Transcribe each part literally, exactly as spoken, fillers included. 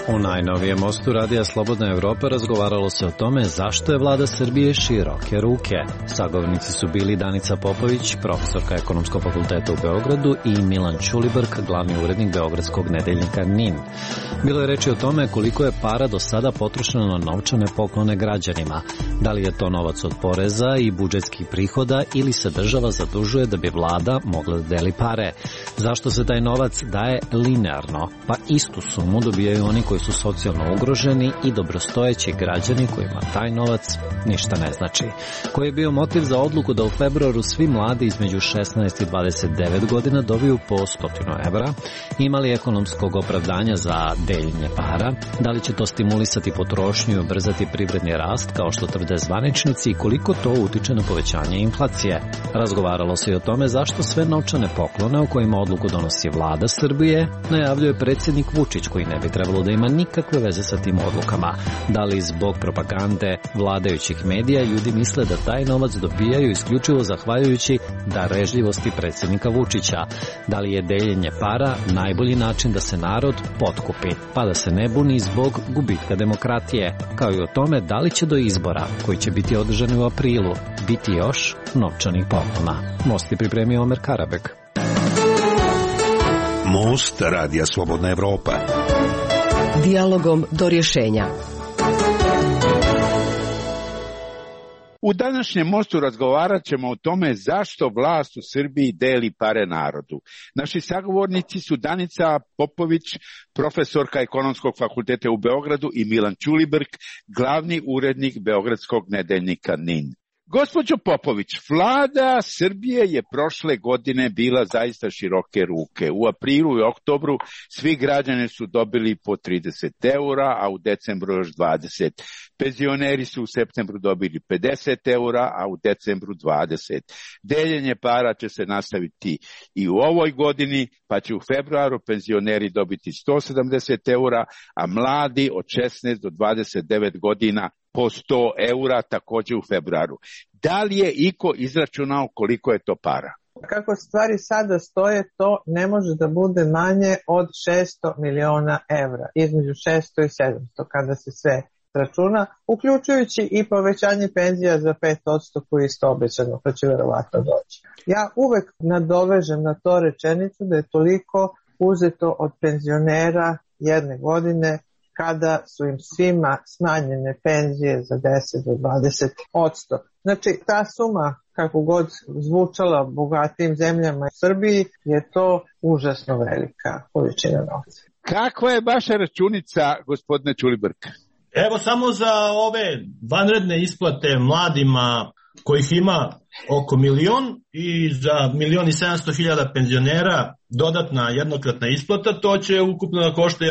U najnovijem mostu Radija Slobodna Evropa razgovaralo se o tome zašto je vlada Srbije široke ruke. Sagovornici su bili Danica Popović, profesorka Ekonomskog fakulteta u Beogradu, i Milan Ćulibrk, glavni urednik beogradskog nedeljnika N I N. Bilo je reči o tome koliko je para do sada potrošeno na novčane poklone građanima. Da li je to novac od poreza i budžetskih prihoda ili se država zadužuje da bi vlada mogla da deli pare? Zašto se taj novac daje linearno? Pa istu sumu dobijaju oni koji su socijalno ugroženi i dobrostojeći građani kojima taj novac ništa ne znači. Koji je bio motiv za odluku da u februaru svi mladi između šesnaest i dvadeset devet godina dobiju po stotinu evra? Ima li ekonomskog opravdanja za deljenje para? Da li će to stimulisati potrošnju i ubrzati privredni rast kao što tvrde zvaničnici i koliko to utiče na povećanje inflacije? Razgovaralo se i o tome zašto sve novčane poklone o kojima odluku donosi vlada Srbije najavljuje predsjednik Vučić, koji ne bi trebalo da ima nikakve veze sa tim odlukama. Da li zbog propagande vladajućih medija ljudi misle da taj novac dobijaju isključivo zahvaljujući darežljivosti predsjednika Vučića? Da li je deljenje para najbolji način da se narod potkupi, pa da se ne buni zbog gubitka demokratije? Kao i o tome da li će do izbora, koji će biti održani u aprilu, biti još novčanih poklona. Most je pripremio Omer Karabek. Most Radija Slobodna Evropa. Dijalogom do rješenja. U današnjem mostu razgovarat ćemo o tome zašto vlast u Srbiji deli pare narodu. Naši sagovornici su Danica Popović, profesorka Ekonomskog fakulteta u Beogradu, i Milan Ćulibrk, glavni urednik beogradskog nedeljnika N I N. Gospođo Popović, vlada Srbije je prošle godine bila zaista široke ruke. U aprilu i oktobru svi građani su dobili po trideset eura, a u decembru još dvadeset. Penzioneri su u septembru dobili pedeset eura, a u decembru dvadeset. Deljenje para će se nastaviti i u ovoj godini, pa će u februaru penzioneri dobiti sto sedamdeset eura, a mladi od šesnaest do dvadeset devet godina po sto eura također u februaru. Da li je iko izračunao koliko je to para? Kako stvari sada stoje, to ne može da bude manje od šesto miliona evra, između šesto i sedamsto kada se sve računa, uključujući i povećanje penzija za pet posto koji je isto obećano, pa će verovatno doći. Ja uvek nadovežem na to rečenicu da je toliko uzeto od penzionera jedne godine kada su im svima smanjene penzije za deset do dvadeset posto. Znači, ta suma, kako god zvučala bogatim zemljama u Srbiji, je to užasno velika količina novca. Kakva je vaša računica, gospodine Ćulibrk? Evo, samo za ove vanredne isplate mladima kojih ima oko milion i za milion i sedamsto hiljada penzionera dodatna jednokratna isplata, to će ukupno da košta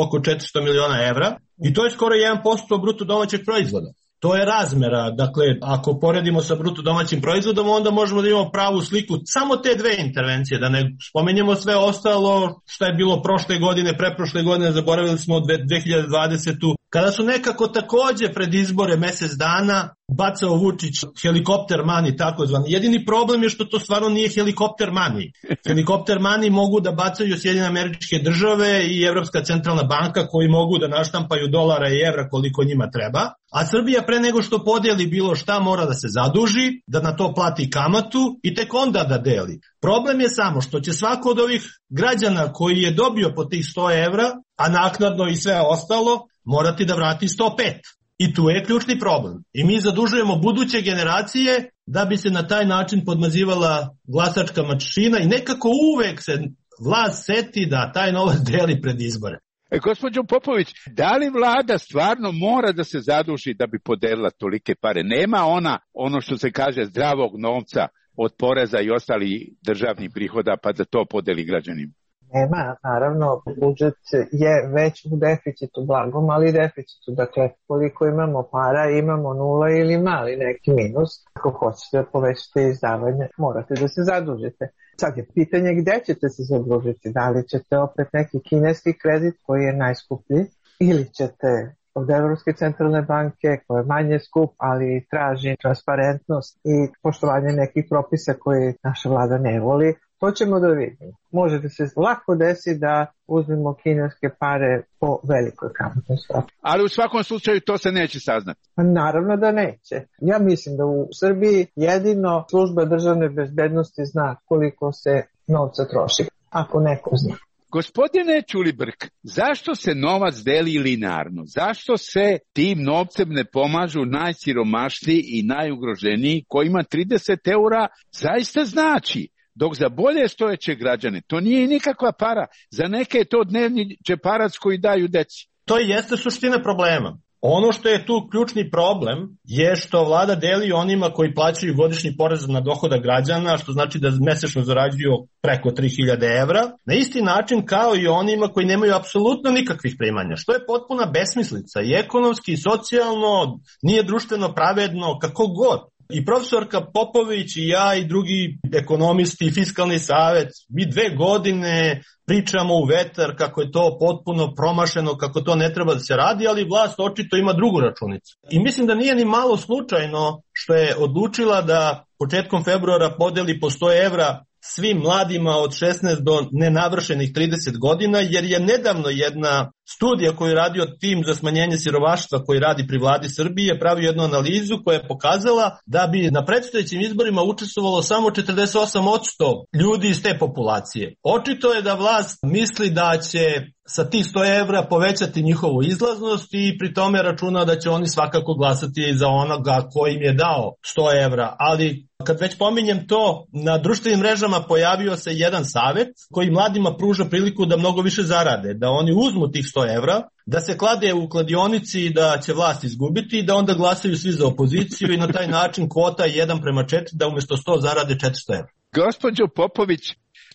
oko četiristo miliona evra i to je skoro jedan posto bruto domaćeg proizvoda. To je razmera, dakle, ako poredimo sa bruto domaćim proizvodom, onda možemo da imamo pravu sliku samo te dve intervencije, da ne spomenjemo sve ostalo što je bilo prošle godine, preprošle godine, zaboravili smo dve hiljade dvadesete. Kada su nekako takođe pred izbore mesec dana bacao Vučić helikopter money, takozvani. Jedini problem je što to stvarno nije helikopter money. Helikopter money mogu da bacaju Sjedinjene Američke Države i Evropska centralna banka, koji mogu da naštampaju dolara i evra koliko njima treba. A Srbija pre nego što podeli bilo šta mora da se zaduži, da na to plati kamatu i tek onda da deli. Problem je samo što će svako od ovih građana koji je dobio po tih sto evra, a naknadno i sve ostalo, morati da vrati sto pet. I tu je ključni problem. I mi zadužujemo buduće generacije da bi se na taj način podmazivala glasačka mašina i nekako uvek se vlast seti da taj novac deli pred izbore. E, gospođo Popović, da li vlada stvarno mora da se zaduži da bi podelila tolike pare? Nema ona, ono što se kaže, zdravog novca od poreza i ostalih državnih prihoda pa da to podeli građanima? Nema, naravno, budžet je već u deficitu, blagom, ali deficitu. Dakle, koliko imamo para, imamo nula ili mali neki minus. Ako hoćete da povećate izdavanje, morate da se zadužite. Sad je pitanje gde ćete se zadužiti. Da li ćete opet neki kineski kredit koji je najskuplji ili ćete od Evropske centralne banke, koja je manje skup, ali traži transparentnost i poštovanje nekih propisa koje naša vlada ne voli. To ćemo da vidimo. Može da se lako desi da uzmemo kineske pare po velikoj kamatnoj stopi. Ali u svakom slučaju to se neće saznati. Pa naravno da neće. Ja mislim da u Srbiji jedino služba državne bezbednosti zna koliko se novca troši, ako neko zna. Gospodine Ćulibrk, zašto se novac deli linearno? Zašto se tim novcem ne pomažu najsiromašniji i najugroženiji kojima trideset eura zaista znači? Dok za bolje stojeće građane to nije nikakva para. Za neke je to dnevni džeparac koji daju deci. To jeste suština problema. Ono što je tu ključni problem je što vlada deli onima koji plaćaju godišnji porez na dohodak građana, što znači da mesečno zarađuju preko tri hiljade evra, na isti način kao i onima koji nemaju apsolutno nikakvih primanja, što je potpuna besmislica i ekonomski i socijalno, nije društveno pravedno, kako god. I profesorka Popović i ja i drugi ekonomisti i fiskalni savet, mi dve godine pričamo u vetar kako je to potpuno promašeno, kako to ne treba da se radi, ali vlast očito ima drugu računicu. I mislim da nije ni malo slučajno što je odlučila da početkom februara podeli po sto evra svim mladima od šesnaest do nenavršenih trideset godina, jer je nedavno jedna studija koju je radio tim za smanjenje siromaštva koji radi pri vladi Srbije pravio jednu analizu koja je pokazala da bi na predstojećim izborima učestvovalo samo četrdeset osam posto ljudi iz te populacije. Očito je da vlast misli da će sa tih sto evra povećati njihovu izlaznost i pri tome računa da će oni svakako glasati za onoga koji im je dao sto evra. Ali kad već pominjem to, na društvenim mrežama pojavio se jedan savet koji mladima pruža priliku da mnogo više zarade, da oni uzmu tih sto evra, da se klade u kladionici da će vlast izgubiti i da onda glasaju svi za opoziciju i na taj način kvota je jedan prema četiri, da umjesto sto zarade četiristo evra. Gospođo Popović,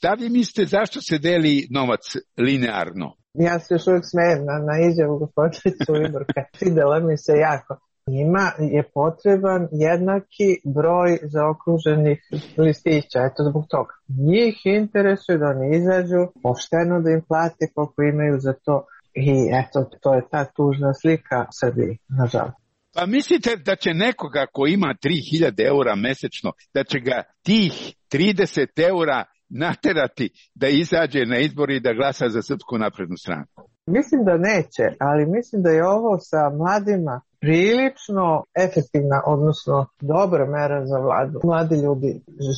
da vi mislite zašto se deli novac linearno? Ja se još uvijek smijem na, na izjavu gospodina Ćulibrka. Svidela mi se jako. Njima je potreban jednaki broj zaokruženih listića, eto zbog toga. Njih interesuje da oni izađu, pošteno da im plate koliko imaju za to i eto, to je ta tužna slika Srbiji, nažalost. Pa mislite da će nekoga ko ima tri hiljade eura mesečno, da će ga tih trideset eura naterati da izađe na izbor i da glasa za Srpsku naprednu stranku? Mislim da neće, ali mislim da je ovo sa mladima prilično efektivna, odnosno dobra mera za vladu. Mladi ljudi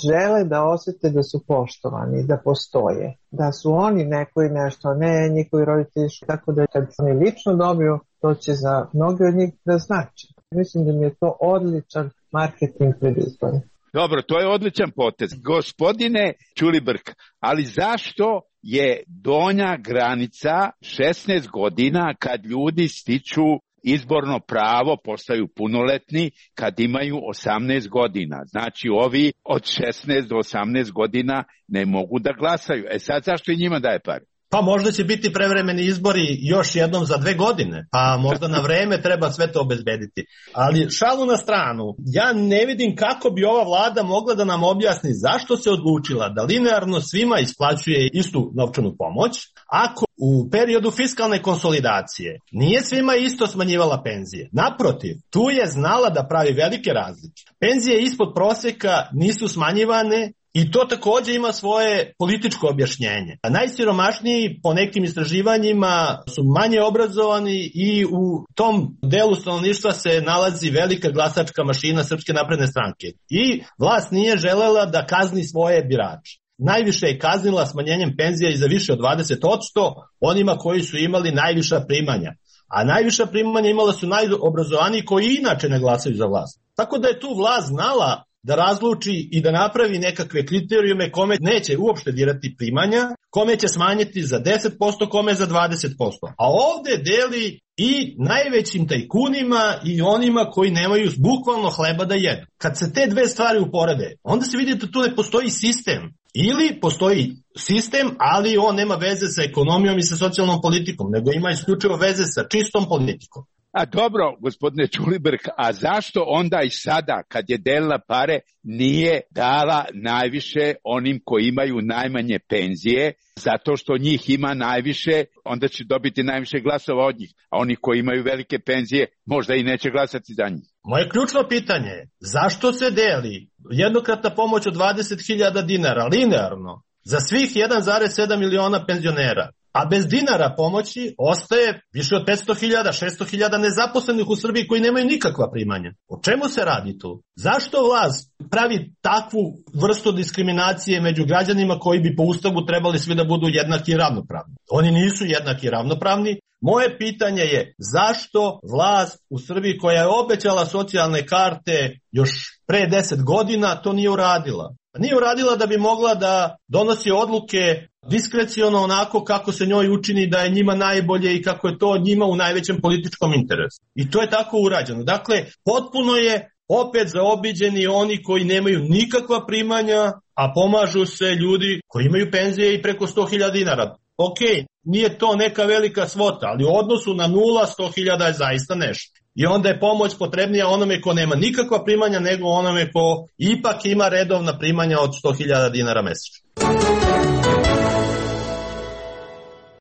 žele da osjete da su poštovani, da postoje, da su oni neko i nešto, ne njihovi roditelji, tako da kad oni lično dobiju, to će za mnogi od njih da znači. Mislim da mi je to odličan marketing pred izborom. Dobro, to je odličan potez. Gospodine Ćulibrk, ali zašto je donja granica šesnaest godina kad ljudi stiču izborno pravo, postaju punoletni kad imaju osamnaest godina? Znači ovi od šesnaest do osamnaest godina ne mogu da glasaju. E sad zašto i njima daje pare? Pa možda će biti prevremeni izbori još jednom za dve godine, pa možda na vreme treba sve to obezbediti. Ali šalu na stranu, ja ne vidim kako bi ova vlada mogla da nam objasni zašto se odlučila da linearno svima isplaćuje istu novčanu pomoć, ako u periodu fiskalne konsolidacije nije svima isto smanjivala penzije. Naprotiv, tu je znala da pravi velike razlike. Penzije ispod proseka nisu smanjivane, i to također ima svoje političko objašnjenje. A najsiromašniji po nekim istraživanjima su manje obrazovani i u tom delu stanovništva se nalazi velika glasačka mašina Srpske napredne stranke. I vlast nije želela da kazni svoje birače. Najviše je kaznila smanjenjem penzija i za više od dvadeset posto onima koji su imali najviša primanja. A najviša primanja imala su najobrazovaniji koji inače ne glasaju za vlast. Tako da je tu vlast znala da razluči i da napravi nekakve kriterijume kome neće uopšte dirati primanja, kome će smanjiti za deset posto, kome za dvadeset posto. A ovde deli i najvećim tajkunima i onima koji nemaju bukvalno hleba da jedu. Kad se te dve stvari uporede, onda se vidi da tu ne postoji sistem. Ili postoji sistem, ali on nema veze sa ekonomijom i sa socijalnom politikom, nego ima isključivo veze sa čistom politikom. A dobro, gospodine Ćulibrk, a zašto onda i sada, kad je delila pare, nije dala najviše onim koji imaju najmanje penzije, zato što njih ima najviše, onda će dobiti najviše glasova od njih, a oni koji imaju velike penzije možda i neće glasati za njih. Moje ključno pitanje je, zašto se deli jednokratna pomoć od dvadeset hiljada dinara linearno za svih jedan zarez sedam miliona penzionera, a bez dinara pomoći ostaje više od petsto hiljada, šesto hiljada nezaposlenih u Srbiji koji nemaju nikakva primanja? O čemu se radi tu? Zašto vlast pravi takvu vrstu diskriminacije među građanima koji bi po Ustavu trebali svi da budu jednaki i ravnopravni? Oni nisu jednaki i ravnopravni. Moje pitanje je, zašto vlast u Srbiji koja je obećala socijalne karte još pre deset godina to nije uradila? Nije uradila da bi mogla da donosi odluke diskreciono onako kako se njoj učini da je njima najbolje i kako je to njima u najvećem političkom interesu. I to je tako urađeno. Dakle, potpuno je opet zaobiđeni oni koji nemaju nikakva primanja, a pomažu se ljudi koji imaju penzije i preko sto hiljada dinara. Ok, nije to neka velika svota, ali u odnosu na nula, sto hiljada je zaista nešto. I onda je pomoć potrebnija onome ko nema nikakva primanja nego onome ko ipak ima redovna primanja od sto hiljada dinara mesečno.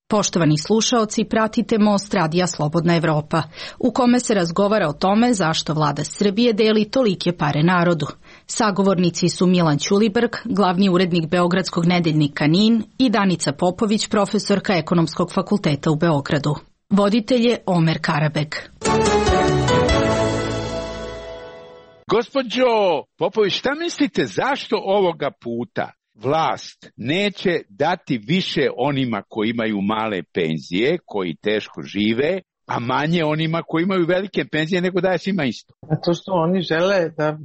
Poštovani slušaoci, pratite Most Radija Slobodna Evropa, u kome se razgovara o tome zašto vlada Srbije deli tolike pare narodu. Sagovornici su Milan Ćulibrk, glavni urednik Beogradskog nedeljnika N I N, i Danica Popović, profesorka Ekonomskog fakulteta u Beogradu. Voditelj je Omer Karabek. Gospođo Popović, šta mislite zašto ovoga puta vlast neće dati više onima koji imaju male penzije, koji teško žive, a manje onima koji imaju velike penzije, nego daje svima isto? Zato što oni žele da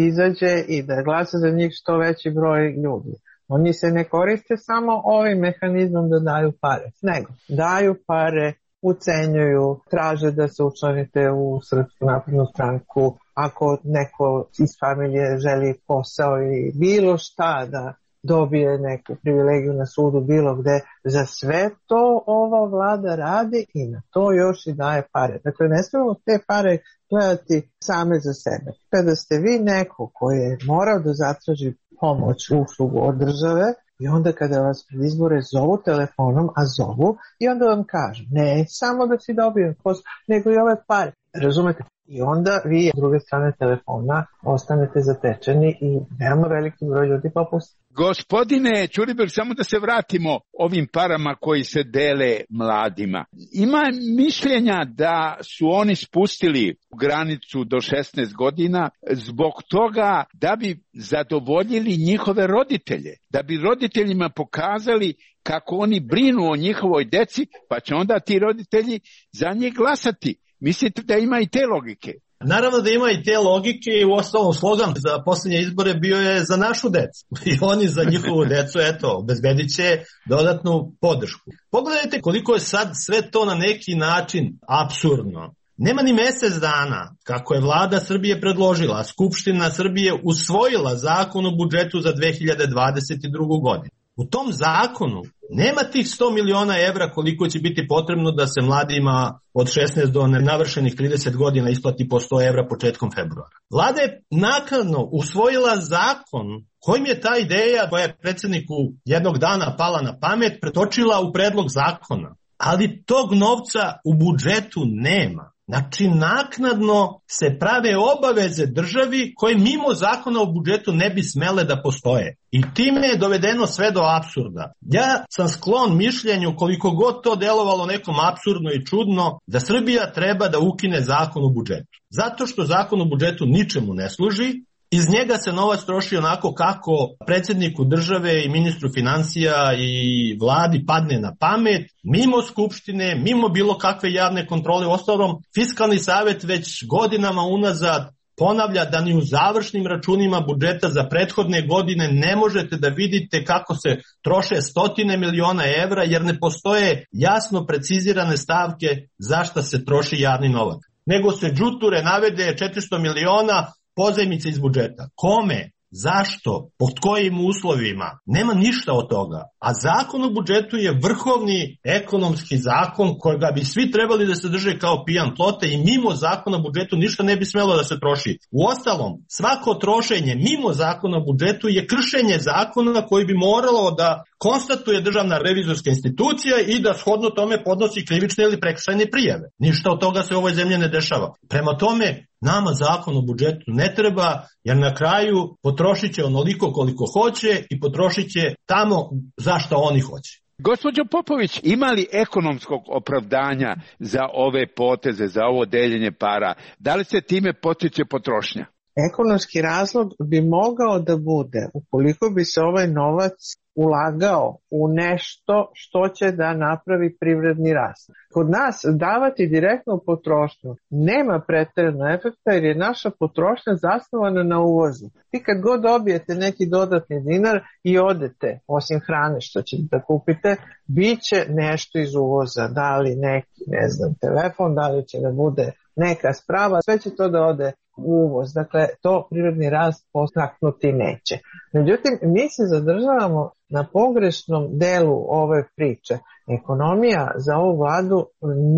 izađe i da glasa za njih što veći broj ljudi. Oni se ne koriste samo ovim mehanizmom da daju pare, nego daju pare, ucenjuju, traže da se učlanite u Srpsku naprednu stranku, ako neko iz familije želi posao ili bilo šta da dobije neku privilegiju na sudu bilo gde, za sve to ova vlada radi i na to još i daje pare. Dakle, ne smemo te pare gledati same za sebe. Kada ste vi neko koji je morao da zatraži pomoć, uslugu od države, i onda kada vas pred izbore zovu telefonom, a zovu, i onda vam kažu, ne samo da si dobio posao, nego i ove pare. Razumete? I onda vi, s druge strane telefona, ostanete zatečeni i veoma veliki broj ljudi popusti. Gospodine Ćulibrk, samo da se vratimo ovim parama koji se dele mladima. Ima mišljenja da su oni spustili granicu do šesnaest godina zbog toga da bi zadovoljili njihove roditelje, da bi roditeljima pokazali kako oni brinu o njihovoj deci, pa će onda ti roditelji za njih glasati. Mislite da ima i te logike? Naravno da ima i te logike i u ostalom slogan za posljednje izbore bio je za našu decu. I oni za njihovu decu, eto, obezbedit će dodatnu podršku. Pogledajte koliko je sad sve to na neki način apsurdno. Nema ni mesec dana kako je vlada Srbije predložila, a Skupština Srbije usvojila zakon o budžetu za dve hiljade dvadeset drugu. godinu. U tom zakonu nema tih sto miliona evra koliko će biti potrebno da se mladima od šesnaest do navršenih trideset godina isplati po sto evra početkom februara. Vlada je naknadno usvojila zakon kojim je ta ideja koja je predsjedniku jednog dana pala na pamet pretočila u predlog zakona. Ali tog novca u budžetu nema. Znači, naknadno se prave obaveze državi koje mimo zakona o budžetu ne bi smele da postoje. I time je dovedeno sve do apsurda. Ja sam sklon mišljenju, koliko god to delovalo nekom apsurdno i čudno, da Srbija treba da ukine zakon o budžetu. Zato što zakon o budžetu ničemu ne služi. Iz njega se novac troši onako kako predsjedniku države i ministru financija i vladi padne na pamet, mimo skupštine, mimo bilo kakve javne kontrole. Uostalom, Fiskalni savet već godinama unazad ponavlja da ni u završnim računima budžeta za prethodne godine ne možete da vidite kako se troše stotine miliona evra, jer ne postoje jasno precizirane stavke za šta se troši javni novac. Nego se džuture navede četiristo miliona pozajmice iz budžeta. Kome? zašto, pod kojim uslovima, nema ništa od toga. A zakon o budžetu je vrhovni ekonomski zakon kojega bi svi trebali da se drže kao pijan plota i mimo zakona o budžetu ništa ne bi smelo da se troši. Uostalom, svako trošenje mimo zakona o budžetu je kršenje zakona koji bi moralo da konstatuje Državna revizorska institucija i da shodno tome podnosi krivične ili prekršajne prijave. Ništa od toga se u ovoj zemlji ne dešava. Prema tome, nama zakon o budžetu ne treba, jer na kraju potrošit će onoliko koliko hoće i potrošit će tamo za što oni hoće. Gospođo Popović, ima li ekonomskog opravdanja za ove poteze, za ovo deljenje para? Da li se time potiče potrošnja? Ekonomski razlog bi mogao da bude ukoliko bi se ovaj novac ulagao u nešto što će da napravi privredni rast. Kod nas davati direktno u potrošnju nema preterano efekta jer je naša potrošnja zasnovana na uvozu. Vi kad god dobijete neki dodatni dinar i odete, osim hrane što ćete da kupite, bit će nešto iz uvoza, da li neki, ne znam, telefon, da li će da bude neka sprava, sve će to da ode u uvoz. Dakle, to privredni rast postaknuti neće. Međutim, mi se zadržavamo na pogrešnom delu ove priče. Ekonomija za ovu vladu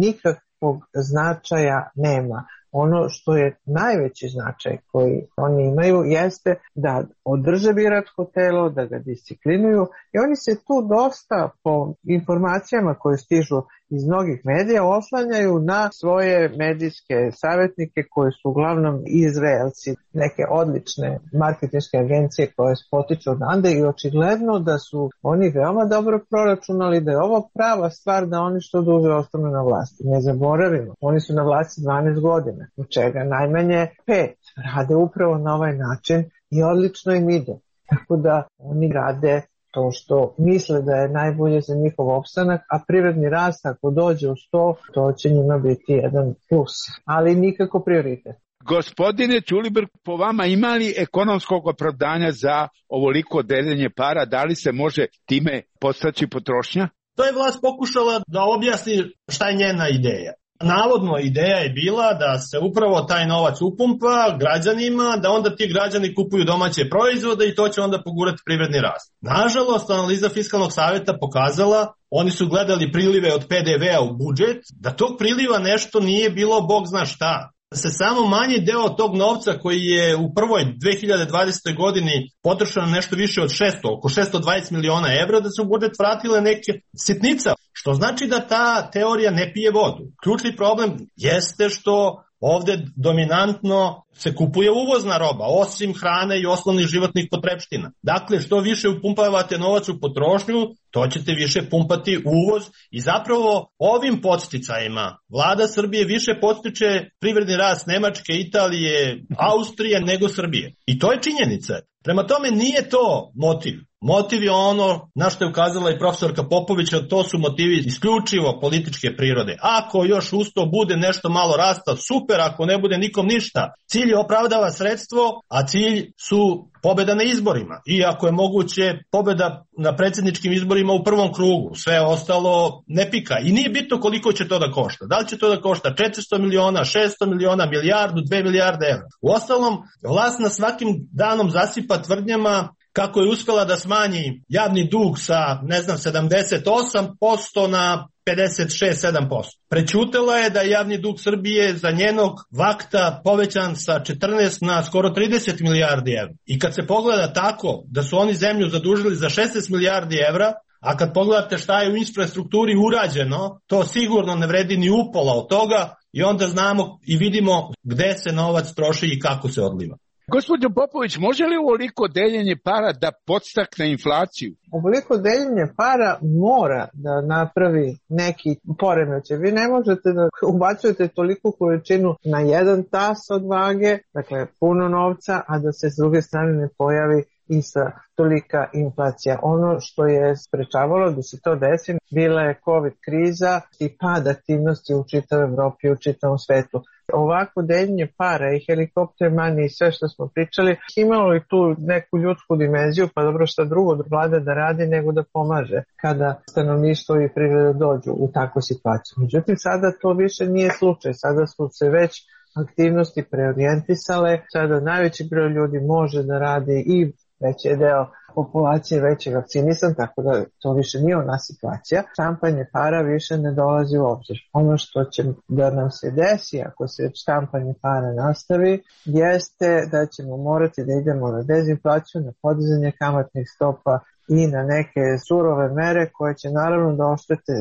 nikakvog značaja nema. Ono što je najveći značaj koji oni imaju jeste da održe biračko telo, da ga disciplinuju i oni se tu dosta po informacijama koje stižu iz mnogih medija oslanjaju na svoje medijske savjetnike koji su uglavnom Izraelci, neke odlične marketinške agencije koje potiču odande i očigledno da su oni veoma dobro proračunali da je ovo prava stvar da oni što duže ostanu na vlasti. Ne zaboravimo, oni su na vlasti dvanaest godina, od čega najmanje pet. Rade upravo na ovaj način i odlično im ide. Tako da oni rade to što misle da je najbolje za njihov opstanak, a privredni rast ako dođe u sto, to će njima biti jedan plus, ali nikako prioritet. Gospodine Ćulibrk, po vama ima li ekonomskog opravdanja za ovoliko deljenje para? Da li se može time postaći potrošnja? To je vlast pokušala da objasni šta je njena ideja. Navodno ideja je bila da se upravo taj novac upumpa građanima, da onda ti građani kupuju domaće proizvode i to će onda pogurati privredni rast. Nažalost, analiza Fiskalnog savjeta pokazala, oni su gledali prilive od pe de ve a u budžet, da tog priliva nešto nije bilo bog zna šta. Da se samo manji deo tog novca koji je u prvoj dve hiljade dvadesete godini potrošeno nešto više od šesto, oko šesto dvadeset miliona evra, da se u budžet vratile neke sitnica, što znači da ta teorija ne pije vodu. Ključni problem jeste što ovde dominantno se kupuje uvozna roba, osim hrane i osnovnih životnih potrepština. Dakle, što više upumpavate novac u potrošnju, to ćete više pumpati uvoz i zapravo ovim podsticajima vlada Srbije više podstiče privredni rast Nemačke, Italije, Austrije nego Srbije. I to je činjenica. Prema tome nije to motiv. Motiv je ono na što je ukazala i profesorka Popović, a to su motivi isključivo političke prirode. Ako još usto bude nešto malo rasta, super, ako ne bude nikom ništa. Cilj opravdava sredstvo, a cilj su pobeda na izborima. I ako je moguće pobeda na predsjedničkim izborima u prvom krugu, sve ostalo ne pika. I nije bitno koliko će to da košta. Da li će to da košta četiristo miliona, šesto miliona, milijardu, dve milijarde evra. U ostalom, vlast na svakim danom zasipa tvrdnjama kako je uspela da smanji javni dug sa, ne znam, sedamdeset osam posto na pedeset šest sedam posto. Prećutela je da je javni dug Srbije za njenog vakta povećan sa četrnaest na skoro trideset milijardi evra. I kad se pogleda tako da su oni zemlju zadužili za šesnaest milijardi evra, a kad pogledate šta je u infrastrukturi urađeno, to sigurno ne vredi ni upola od toga i onda znamo i vidimo gde se novac troši i kako se odliva. Gospođo Popović, može li ovoliko deljenje para da podstakne inflaciju? Ovoliko deljenje para mora da napravi neki poremećaj. Vi ne možete da ubacujete toliku količinu na jedan tas od vage, dakle puno novca, a da se s druge strane ne pojavi ista tolika inflacija. Ono što je sprečavalo da se to desi bila je COVID kriza i pad aktivnosti u čitavoj Evropi i u čitavom svetu. Ovako deljenje para i helikopter mani i sve što smo pričali imalo i tu neku ljudsku dimenziju, pa dobro šta drugo vlada da radi nego da pomaže kada stanovništvo i privreda dođu u takvu situaciju. Međutim, sada to više nije slučaj. Sada su se već aktivnosti preorijentisale. Sada najveći broj ljudi može da radi i veći je deo populacije već je vakcinisan, tako da to više nije ona situacija. Štampanje para više ne dolazi u obzir. Ono što će da nam se desi ako se štampanje para nastavi jeste da ćemo morati da idemo na dezinflaciju, na podizanje kamatnih stopa i na neke surove mere koje će naravno da oštete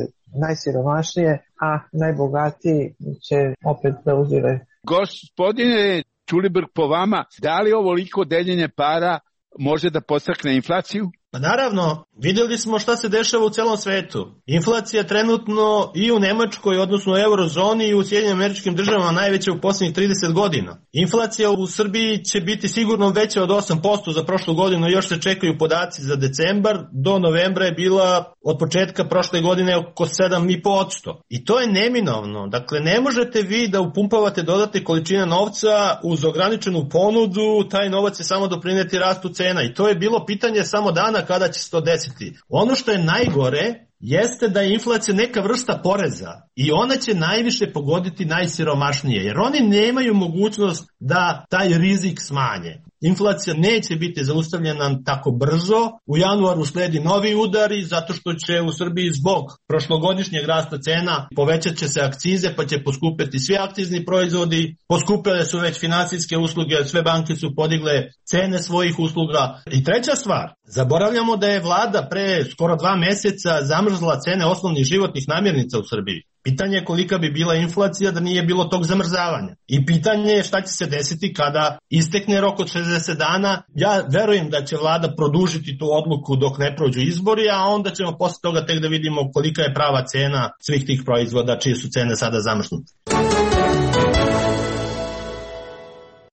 najsiromašnije, a najbogatiji će opet da uzire. Gospodine Ćulibrk, po vama, da li ovoliko deljenje para može da podstakne inflaciju? Pa naravno, vidjeli smo šta se dešava u celom svetu. Inflacija trenutno i u Nemačkoj, odnosno u eurozoni i u Sjedinjenim Američkim Državama najveća u posljednjih trideset godina. Inflacija u Srbiji će biti sigurno veća od osam posto za prošlu godinu, još se čekaju podaci za decembar, do novembra je bila od početka prošle godine oko sedam i po posto. I to je neminovno, dakle ne možete vi da upumpavate dodatne količine novca uz ograničenu ponudu, taj novac će samo doprineti rastu cena i to je bilo pitanje samo dana kada će se to desiti. Ono što je najgore jeste da je inflacija neka vrsta poreza i ona će najviše pogoditi najsiromašnije, jer oni nemaju mogućnost da taj rizik smanje. Inflacija neće biti zaustavljena tako brzo, u januaru sledi novi udari zato što će u Srbiji zbog prošlogodišnjeg rasta cena povećat će se akcize pa će poskupeti svi akcizni proizvodi, poskupile su već finansijske usluge, sve banke su podigle cene svojih usluga. I treća stvar, zaboravljamo da je vlada pre skoro dva meseca zamrzla cene osnovnih životnih namirnica u Srbiji. Pitanje je kolika bi bila inflacija da nije bilo tog zamrzavanja. I pitanje je šta će se desiti kada istekne rok od šezdeset dana. Ja verujem da će vlada produžiti tu odluku dok ne prođu izbori, a onda ćemo posle toga tek da vidimo kolika je prava cena svih tih proizvoda čije su cene sada zamrznute.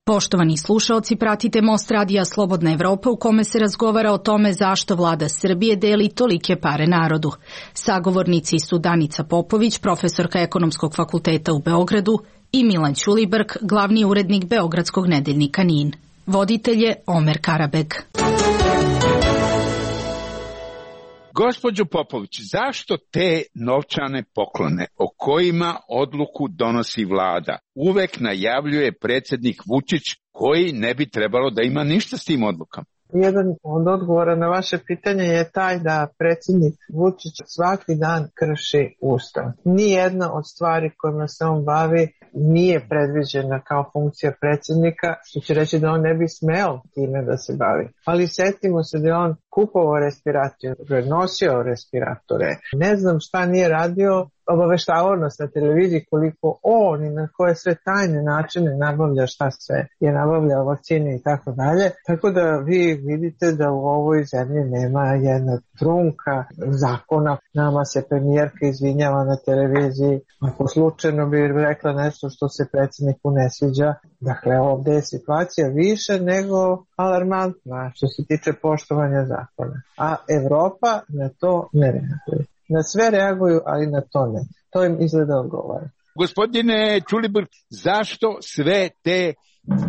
Poštovani slušaoci, pratite Most radija Slobodna Evropa u kome se razgovara o tome zašto vlada Srbije deli tolike pare narodu. Sagovornici su Danica Popović, profesorka Ekonomskog fakulteta u Beogradu, i Milan Ćulibrk, glavni urednik Beogradskog nedeljnika N I N. Voditelj je Omer Karabeg. Gospođo Popović, zašto te novčane poklone o kojima odluku donosi vlada uvek najavljuje predsjednik Vučić koji ne bi trebalo da ima ništa s tim odlukama? Jedan od odgovora na vaše pitanje je taj da predsjednik Vučić svaki dan krši ustav. Nijedna od stvari kojima se on bavi nije predviđena kao funkcija predsjednika, što će reći da on ne bi smeo time da se bavi. Ali setimo se da je on kupovao respiratore, nosio respiratore. Ne znam šta nije radio, obaveštavao nas na televiziji koliko on i na koje sve tajne načine nabavlja šta sve je nabavljao vakcine i tako dalje. Tako da vi vidite da u ovoj zemlji nema jedna trunka zakona. Nama se premijerka izvinjava na televiziji, ako slučajno bi rekla nešto što se predsjedniku ne sviđa. Dakle, ovdje je situacija više nego alarmantna što se tiče poštovanja zakona. A Evropa na to ne reaguje. Na sve reaguju, ali na to ne. To im izgleda odgovara. Gospodine Ćulibrk, zašto sve te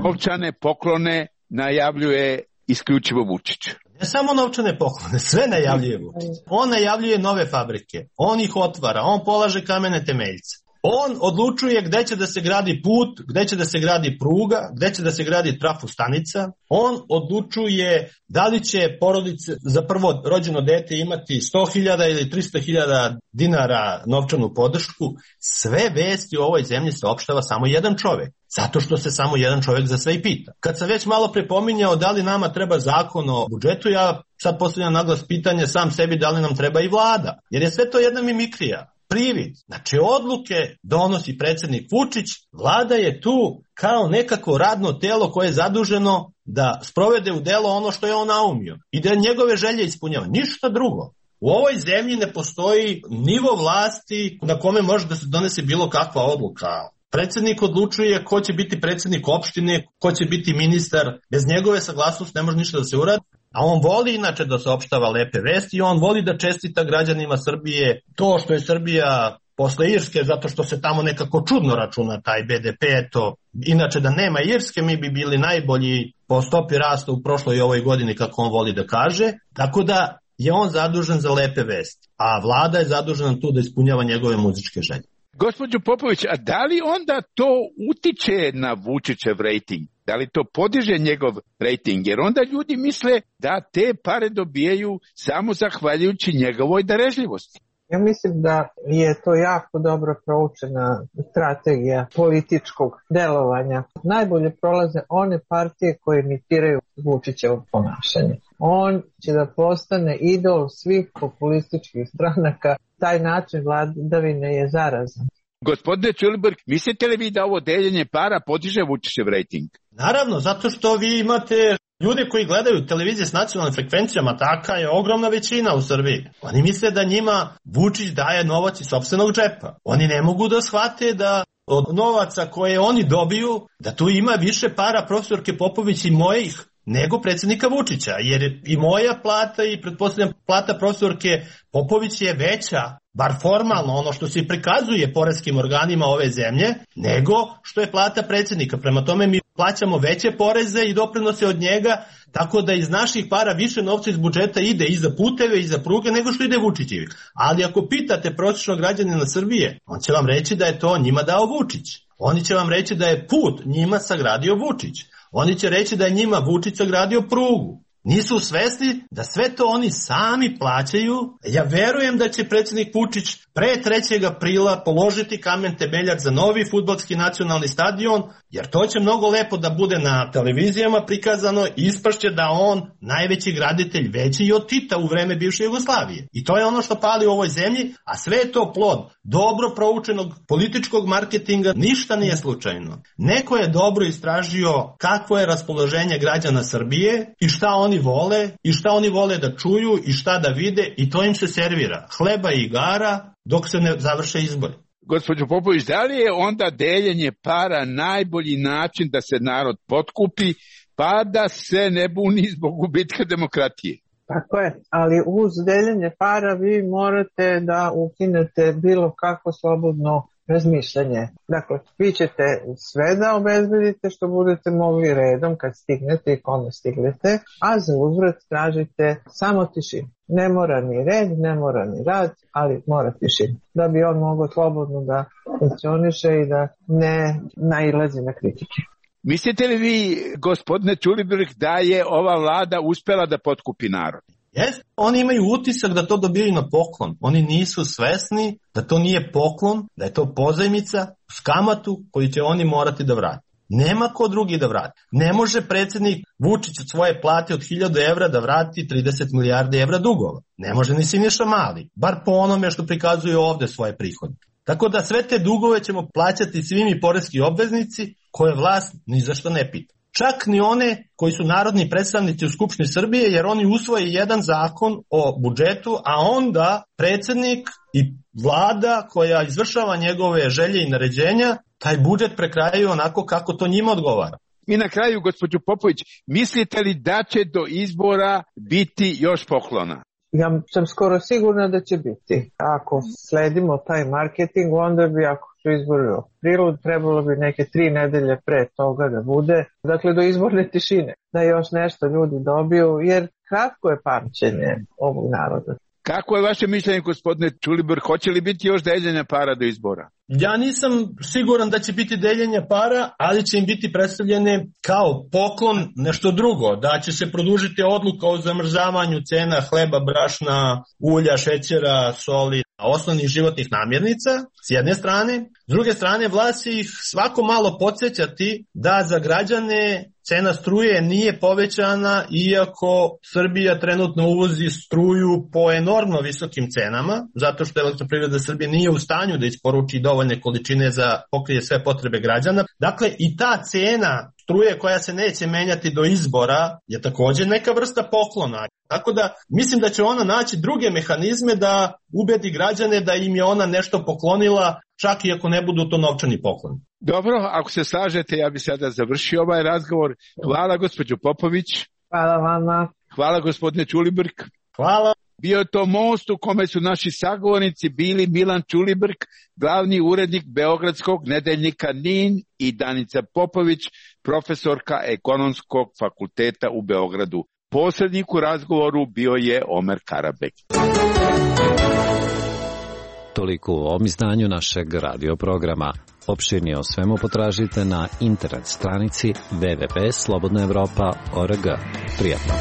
novčane poklone najavljuje isključivo Vučić? Ne samo novčane poklone, sve najavljuje Vučić. On najavljuje nove fabrike, on ih otvara, on polaže kamene temeljce. On odlučuje gde će da se gradi put, gde će da se gradi pruga, gde će da se gradi trafostanica. On odlučuje da li će porodice za prvo rođeno dete imati sto hiljada ili tristo hiljada dinara novčanu podršku. Sve vesti u ovoj zemlji saopštava samo jedan čovek. Zato što se samo jedan čovek za sve i pita. Kad sam već malo prepominjao da li nama treba zakon o budžetu, ja sad postavljam naglas pitanje sam sebi da li nam treba i vlada. Jer je sve to jedna mimikrija. Privid. Znači odluke donosi predsjednik Vučić, vlada je tu kao nekako radno telo koje je zaduženo da sprovede u delo ono što je on naumio i da njegove želje ispunjava. Ništa drugo. U ovoj zemlji ne postoji nivo vlasti na kome može da se donese bilo kakva odluka. Predsjednik odlučuje ko će biti predsjednik opštine, ko će biti ministar. Bez njegove saglasnosti ne može ništa da se uradi. A on voli inače da saopštava lepe vesti i on voli da čestita građanima Srbije to što je Srbija posle Irske, zato što se tamo nekako čudno računa taj be de pe. To. Inače da nema Irske mi bi bili najbolji po stopi rasta u prošloj i ovoj godini, kako on voli da kaže. Tako da je on zadužen za lepe vesti, a vlada je zadužena tu da ispunjava njegove muzičke želje. Gospođo Popović, a da li onda to utiče na Vučićev rejting? Da li to podiže njegov rejting? Jer onda ljudi misle da te pare dobijaju samo zahvaljujući njegovoj darežljivosti. Ja mislim da je to jako dobro proučena strategija političkog delovanja. Najbolje prolaze one partije koje imitiraju Vučićevo ponašanje. On će da postane idol svih populističkih stranaka. Taj način vladavine je zarazan. Gospodine Ćulibrk, mislite li vi da ovo deljenje para podiže Vučićev rejting? Naravno, zato što vi imate ljude koji gledaju televizije s nacionalnim frekvencijama, taka je ogromna većina u Srbiji. Oni misle da njima Vučić daje novac iz sopstvenog džepa. Oni ne mogu da shvate da od novaca koje oni dobiju, da tu ima više para profesorke Popović i mojih nego predsjednika Vučića, jer i moja plata i pretpostavljam plata profesorke Popović je veća, bar formalno, ono što se prikazuje poreskim organima ove zemlje, nego što je plata predsjednika. Prema tome mi plaćamo veće poreze i doprinose od njega, tako da iz naših para više novca iz budžeta ide i za puteve i za pruge nego što ide Vučićevi. Ali ako pitate prosječnog građanina Srbije, on će vam reći da je to njima dao Vučić. Oni će vam reći da je put njima sagradio Vučić. Oni će reći da je njima Vučić sagradio prugu. Nisu svesni da sve to oni sami plaćaju. Ja verujem da će predsjednik Vučić pre trećeg aprila položiti kamen temeljac za novi fudbalski nacionalni stadion, jer to će mnogo lepo da bude na televizijama prikazano i ispašće da on najveći graditelj, veći i od Tita u vreme bivše Jugoslavije. I to je ono što pali u ovoj zemlji, a sve je to plod dobro proučenog političkog marketinga, ništa nije slučajno. Neko je dobro istražio kakvo je raspoloženje građana Srbije i šta oni vole i šta oni vole da čuju i šta da vide i to im se servira. Hleba i igara dok se ne završe izbori. Gospođo Popović, da li je onda deljenje para najbolji način da se narod potkupi pa da se ne buni zbog gubitka demokratije? Tako je, ali uz deljenje para vi morate da ukinete bilo kakvo slobodno razmišljanje. Dakle, vi ćete sve da obezbedite što budete mogli redom kad stignete i kome stignete, a za uzvrat tražite samo tišinu. Ne mora ni red, ne mora ni rad, ali mora tišinu. Da bi on mogao slobodno da funkcioniše i da ne nailazi na kritike. Mislite li vi, gospodine Ćulibrk, da je ova vlada uspela da potkupi narod? Jeste, oni imaju utisak da to dobijaju na poklon. Oni nisu svesni da to nije poklon, da je to pozajmica s kamatu koju će oni morati da vrati. Nema ko drugi da vrati. Ne može predsjednik Vučić od svoje plate od hiljadu evra da vrati trideset milijardi evra dugova. Ne može ni Siniša Mali, bar po onome što prikazuje ovde svoje prihode. Tako da sve te dugove ćemo plaćati svi mi poreski obveznici koje vlast ni za što ne pita. Čak ni one koji su narodni predstavnici u Skupštini Srbije, jer oni usvoje jedan zakon o budžetu, a onda predsjednik i vlada koja izvršava njegove želje i naređenja, taj budžet prekrajaju onako kako to njima odgovara. I na kraju, gospođo Popović, mislite li da će do izbora biti još poklona? Ja sam skoro sigurna da će biti. Ako sledimo taj marketing, onda bi, ako su izbori u aprilu, trebalo bi neke tri nedelje pre toga da bude, dakle do izborne tišine, da još nešto ljudi dobiju, jer kratko je pamćenje ovog naroda. Kako je vaše mišljenje, gospodine Ćulibrk, hoće li biti još deljenja para do izbora? Ja nisam siguran da će biti deljenja para, ali će im biti predstavljene kao poklon nešto drugo, da će se produžiti odluka o zamrzavanju cena hleba, brašna, ulja, šećera, soli, osnovnih životnih namirnica, s jedne strane. S druge strane, vlast će ih svako malo podsjećati da za građane cena struje nije povećana, iako Srbija trenutno uvozi struju po enormno visokim cenama, zato što Elektroprivreda Srbije nije u stanju da isporuči dovoljne količine za pokrije sve potrebe građana. Dakle, i ta cena struje koja se neće menjati do izbora je također neka vrsta poklona. Tako da mislim da će ona naći druge mehanizme da ubedi građane da im je ona nešto poklonila, čak i ako ne budu to novčani poklon. Dobro, ako se slažete, ja bih sada završio ovaj razgovor. Hvala gospođo Popović. Hvala vama. Hvala gospodine Ćulibrk. Hvala. Bio je to most u kome su naši sagovornici bili Milan Ćulibrk, glavni urednik Beogradskog nedeljnika N I N, i Danica Popović, profesorka Ekonomskog fakulteta u Beogradu. Posrednik u razgovoru bio je Omer Karabek. Toliko u ovom izdanju našeg radio programa. Opširnije o svemu potražite na internet stranici w w w tačka slobodna evropa tačka org. Prijatno!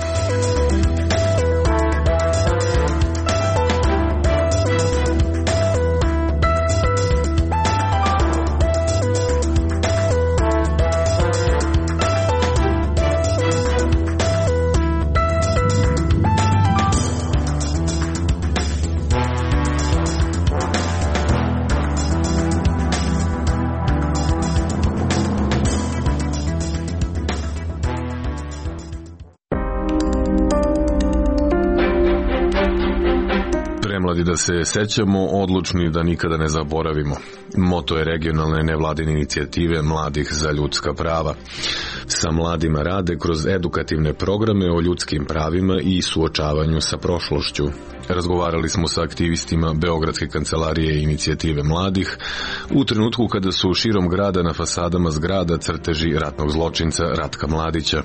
Da se sećamo, odlučni da nikada ne zaboravimo. Moto je regionalne nevladine inicijative Mladih za ljudska prava. Sa mladima rade kroz edukativne programe o ljudskim pravima i suočavanju sa prošlošću. Razgovarali smo sa aktivistima Beogradske kancelarije inicijative mladih u trenutku kada su širom grada na fasadama zgrada crteži ratnog zločinca Ratka Mladića.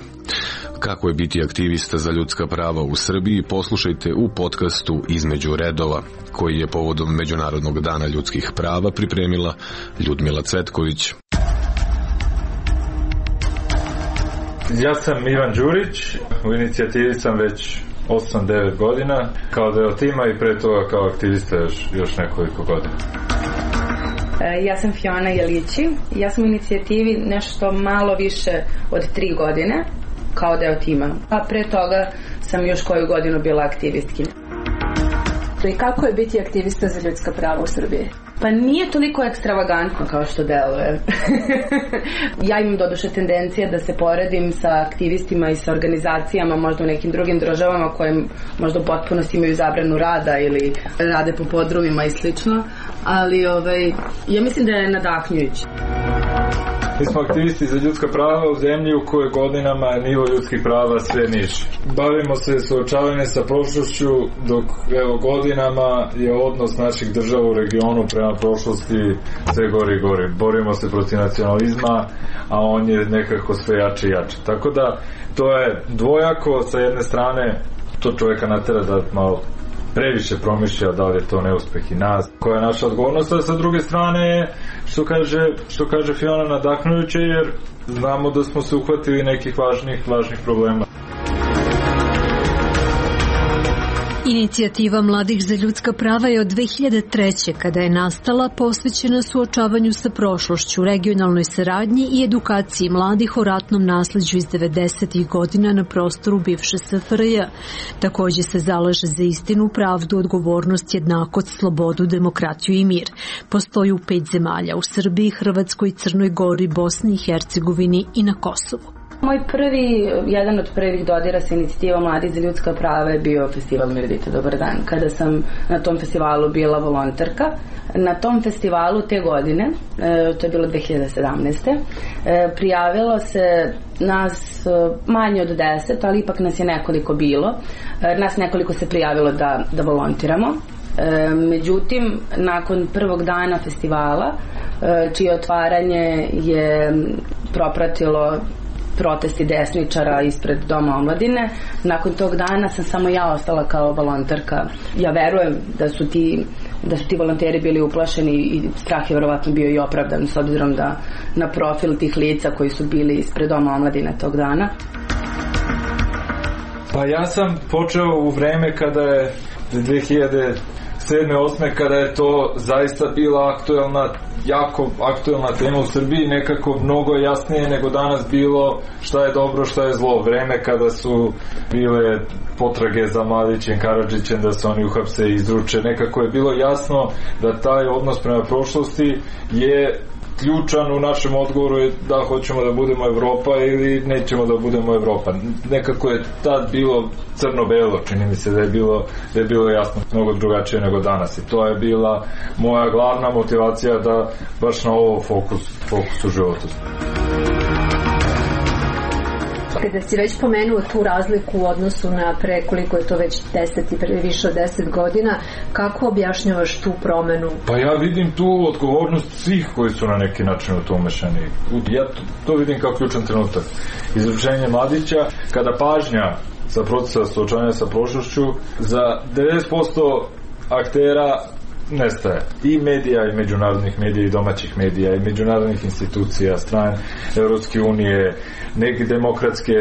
Kako je biti aktivista za ljudska prava u Srbiji, poslušajte u podcastu Između redova, koji je povodom Međunarodnog dana ljudskih prava pripremila Ljudmila Cvetković. Ja sam Ivan Đurić, u inicijativi sam već osam devet godina, kao deo tima i pre toga kao aktivista još, još nekoliko godina. Ja sam Fiona Jelići, ja sam u inicijativi nešto malo više od tri godine kao deo tima, a pre toga sam još koju godinu bila aktivistkinja. I kako je biti aktivista za ljudska prava u Srbiji? Pa nije toliko ekstravagantno kao što deluje. Ja imam doduše tendencije da se poredim sa aktivistima i sa organizacijama možda u nekim drugim državama koje možda u potpunosti imaju zabranu rada ili rade po podrumima i slično, ali ovaj, ja mislim da je nadahnjujući. Mi smo aktivisti za ljudska prava u zemlji u kojoj godinama nivo ljudskih prava sve niže. Bavimo se suočavanjem sa prošlošću, dok evo godinama je odnos naših država u regionu prema prošlosti sve gori i gori. Borimo se protiv nacionalizma, a on je nekako sve jače i jače. Tako da to je dvojako, sa jedne strane to čovjeka natera da malo previše promišlja da li je to neuspeh i nas, koja je naša odgovornost, a sa druge strane što kaže, što kaže Fiona, nadahnujuće, jer znamo da smo se uhvatili nekih važnih, važnih problema. Inicijativa Mladih za ljudska prava je od dve hiljade treće. kada je nastala, posvećena suočavanju sa prošlošću, regionalnoj saradnji i edukaciji mladih o ratnom nasleđu iz devedesetih godina na prostoru bivše S F R J. Takođe se zalaže za istinu, pravdu, odgovornost, jednakost, slobodu, demokratiju i mir. Postoji u pet zemalja, u Srbiji, Hrvatskoj, Crnoj Gori, Bosni i Hercegovini i na Kosovu. Moj prvi, jedan od prvih dodira sa inicijativom Mladih za ljudska prava je bio festival Mirdite Dobar dan, kada sam na tom festivalu bila volonterka. Na tom festivalu te godine, to je bilo dve hiljade sedamnaeste. prijavilo se nas manje od deset, ali ipak nas je nekoliko bilo. Nas nekoliko se prijavilo da, da volontiramo. Međutim, nakon prvog dana festivala, čije otvaranje je propratilo protesti desničara ispred Doma omladine, nakon tog dana sam samo ja ostala kao volonterka. Ja verujem da su ti da su ti volonteri bili uplašeni i strah je verovatno bio i opravdan s obzirom da na profil tih lica koji su bili ispred Doma omladine tog dana. Pa ja sam počeo u vreme kada je dve hiljade sedme osme kada je to zaista bila aktuelna, jako aktuelna tema u Srbiji, nekako mnogo jasnije nego danas bilo šta je dobro, šta je zlo. Vreme kada su bile potrage za Mladićem, Karadžićem, da se oni uhapse i izruče, nekako je bilo jasno da taj odnos prema prošlosti je ključan u našem odgovoru, je da hoćemo da budemo Evropa ili nećemo da budemo Evropa. Nekako je tad bilo crno-belo, čini mi se da je bilo, da je bilo jasno mnogo drugačije nego danas i to je bila moja glavna motivacija da baš na ovo fokus, fokus u životu. Kada si već pomenuo tu razliku u odnosu na pre koliko je to već deset i pre više od deset godina, kako objašnjavaš tu promenu? Pa ja vidim tu odgovornost svih koji su na neki način u to umešani. Ja to, to vidim kao ključan trenutak. Izručenje Mladića, kada pažnja sa procesa suočavanja sa prošlošću za devedeset posto aktera nestaje. I medija, i međunarodnih medija, i domaćih medija, i međunarodnih institucija, strane Evropske unije, neke demokratske,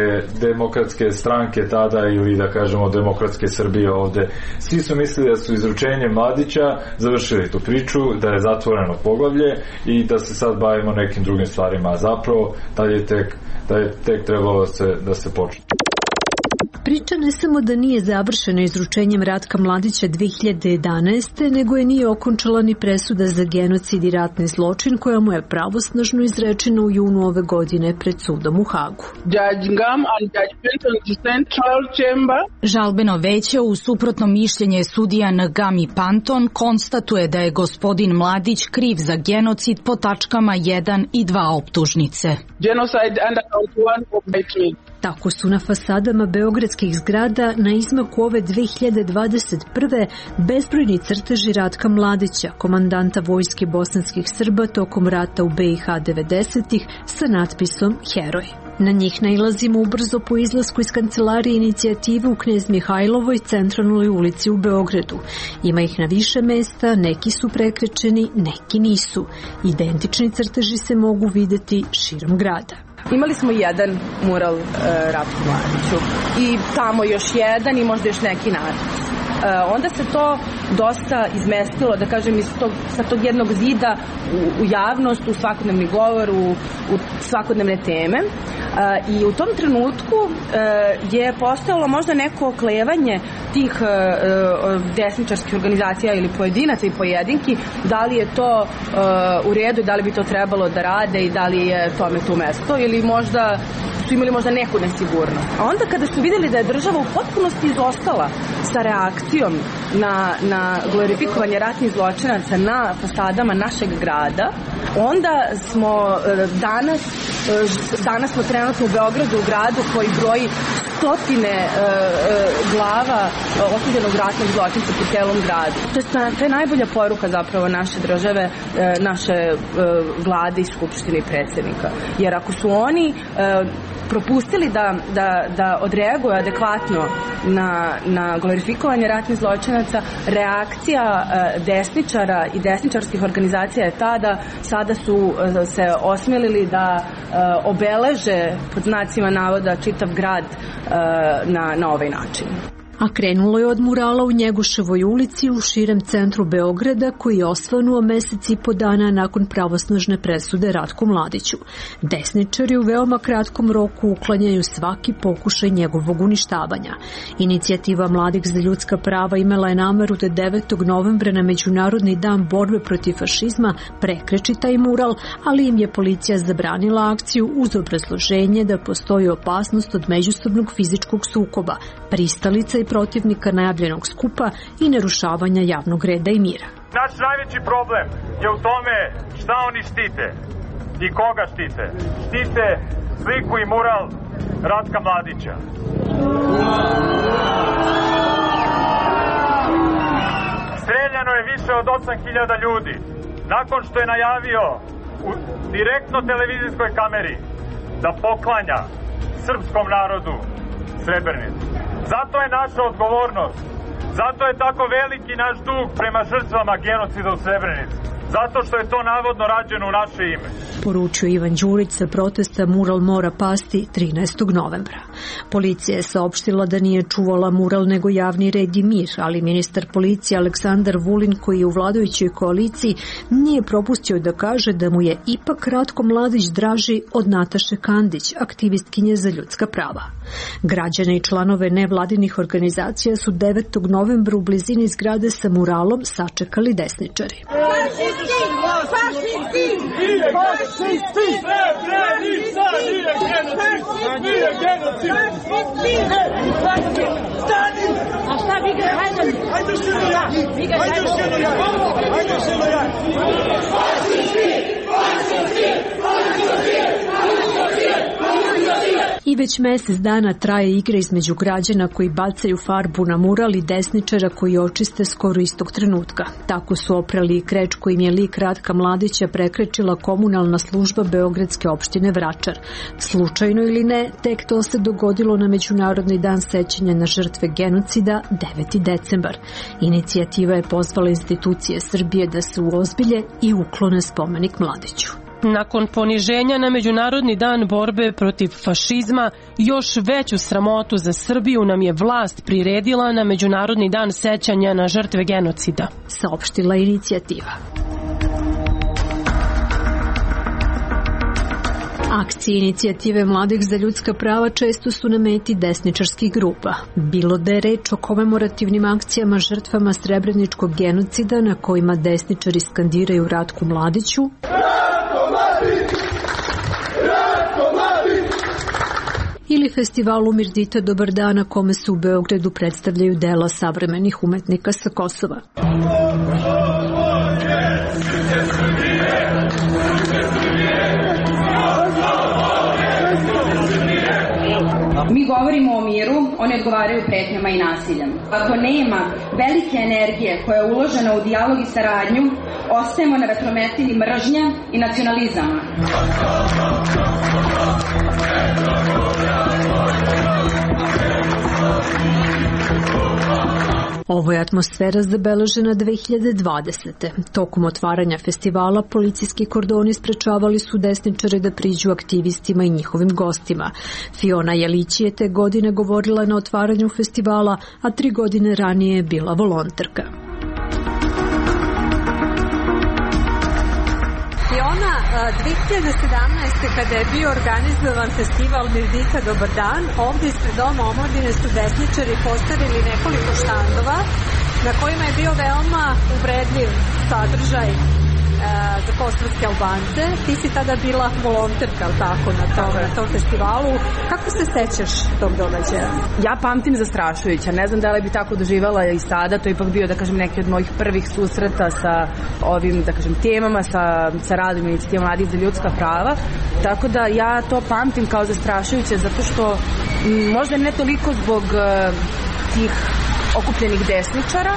demokratske stranke tada, ili da kažemo demokratske Srbije ovde. Svi su mislili da su izručenjem Mladića završili tu priču, da je zatvoreno poglavlje i da se sad bavimo nekim drugim stvarima, a zapravo da je tek, da je tek trebalo da se, da se počne. Priča ne samo da nije završena izručenjem Ratka Mladića dve hiljade jedanaeste. nego je nije okončala ni presuda za genocid i ratni zločin koja mu je pravosnažno izrečena u junu ove godine pred sudom u Hagu. Žalbeno veće u suprotno mišljenje sudija Ngam i Panton konstatuje da je gospodin Mladić kriv za genocid po tačkama jedan i dva optužnice. Genocide under count one of hatred. Tako su na fasadama beogradskih zgrada na izmaku ove dve hiljade dvadeset prve. bezbrojni crteži Ratka Mladića, komandanta vojske bosanskih Srba tokom rata u be i ha devedesetih sa natpisom Heroj. Na njih nailazimo ubrzo po izlasku iz kancelarije inicijative u Knez Mihajlovoj centralnoj ulici u Beogradu. Ima ih na više mesta, neki su prekrečeni, neki nisu. Identični crteži se mogu videti širom grada. Imali smo jedan mural e, Ratku Mladiću i tamo još jedan i možda još neki natpis. E, onda se to dosta izmestilo, da kažem, iz tog, sa tog jednog zida u, u javnost, u svakodnevni govor, u, u svakodnevne teme. E, I u tom trenutku e, je postojalo možda neko oklevanje tih e, desničarskih organizacija ili pojedinaca i pojedinki, da li je to e, u redu i da li bi to trebalo da rade i da li je tome tu mesto, ili možda su imali možda neku nesigurnost. A onda kada su vidjeli da je država u potpunosti izostala sa reakcijom na, na glorifikovanje ratnih zločinaca na fasadama našeg grada, onda smo danas, danas smo trenutno u Beogradu, u gradu koji broji stotine e, e, glava osuđenog ratnog zločinca po celom gradu. To je, to je najbolja poruka zapravo naše države, e, naše e, vlade i skupštine i predsjednika. Jer ako su oni e, propustili da, da, da odreaguju adekvatno na, na glorifikovanje ratnih zločinaca, reakcija e, desničara i desničarskih organizacija je ta da sada su e, se osmelili da e, obeleže pod znacima navoda čitav grad e, na, na ovaj način. A krenulo je od murala u Njegoševoj ulici u širem centru Beograda koji je osvanuo mesec i po dana nakon pravosnažne presude Ratku Mladiću. Desničari u veoma kratkom roku uklanjaju svaki pokušaj njegovog uništavanja. Inicijativa Mladih za ljudska prava imala je nameru da devetog novembra na Međunarodni dan borbe protiv fašizma prekreči taj mural, ali im je policija zabranila akciju uz obrazloženje da postoji opasnost od međusobnog fizičkog sukoba, pristalica i protivnika najavljenog skupa i narušavanja javnog reda i mira. Naš najveći problem je u tome šta oni štite i koga štite. Štite sliku i mural Ratka Mladića. Streljano je više od osam hiljada ljudi nakon što je najavio u direktno televizijskoj kameri da poklanja srpskom narodu Srebrenicu. Zato je naša odgovornost, zato je tako veliki naš dug prema žrtvama genocida u Srebrenici, zato što je to navodno rađeno u naše ime. Poručio Ivan Đurić sa protesta mural mora pasti trinaestog novembra. Policija je saopštila da nije čuvala mural nego javni red i mir, ali ministar policije Aleksandar Vulin, koji je u vladajućoj koaliciji, nije propustio da kaže da mu je ipak Ratko Mladić draži od Nataše Kandić, aktivistkinje za ljudska prava. Građane i članove nevladinih organizacija su devetog novembra u blizini zgrade sa muralom sačekali desničari. A šta vi ga hajde? Hajde što je ja. Vi ga hajde što je ja. Hajde što je ja. I već mesec dana traje igra između građana koji bacaju farbu na mural i desničara koji očiste skoro istog trenutka. Tako su oprali i kreč kojim je lik Ratka Mladića prekrečila komunalna služba Beogradske opštine Vračar. Slučajno ili ne, tek to se dogodilo na Međunarodni dan sećanja na žrtve genocida deveti decembar. Inicijativa je pozvala institucije Srbije da se uozbilje i uklone spomenik Mladiću. Nakon poniženja na Međunarodni dan borbe protiv fašizma, još veću sramotu za Srbiju nam je vlast priredila na Međunarodni dan sećanja na žrtve genocida, saopštila inicijativa. Akcije inicijative Mladih za ljudska prava često su na meti desničarskih grupa. Bilo da je reč o komemorativnim akcijama žrtvama srebreničkog genocida na kojima desničari skandiraju Ratku Mladiću, ili festivalu Mirdita Dobar dan na kome se u Beogradu predstavljaju dela savremenih umetnika sa Kosova. Mi govorimo o miru, oni odgovaraju pretnjama i nasiljem. Ako nema velike energije koja je uložena u dijalog i saradnju, ostajemo na vetrometini mržnja i nacionalizama. Ovo je atmosfera zabeležena dve hiljade dvadesete. Tokom otvaranja festivala policijski kordoni sprečavali su desničare da priđu aktivistima i njihovim gostima. Fiona Jelić je te godine govorila na otvaranju festivala, a tri godine ranije je bila volonterka. Fiona, dve hiljade sedamnaeste. kada je bio organizovan festival Mirdita Dobar dan, ovdje ispred Doma omladine su desničari postavili nekoliko štandova na kojima je bio veoma uvredljiv sadržaj za kosovske Albance. Ti si tada bila volonterka, tako, na tom, na tom festivalu. Kako se sećaš tog događaja? Ja pamtim zastrašujuća. Ne znam da li bi tako doživala i sada. To je ipak bio, da kažem, neki od mojih prvih susreta sa ovim, da kažem, temama, sa, sa radom inicijative Mladih za ljudska prava. Tako da ja to pamtim kao zastrašujuće, zato što m, možda ne toliko zbog uh, tih okupljenih desničara,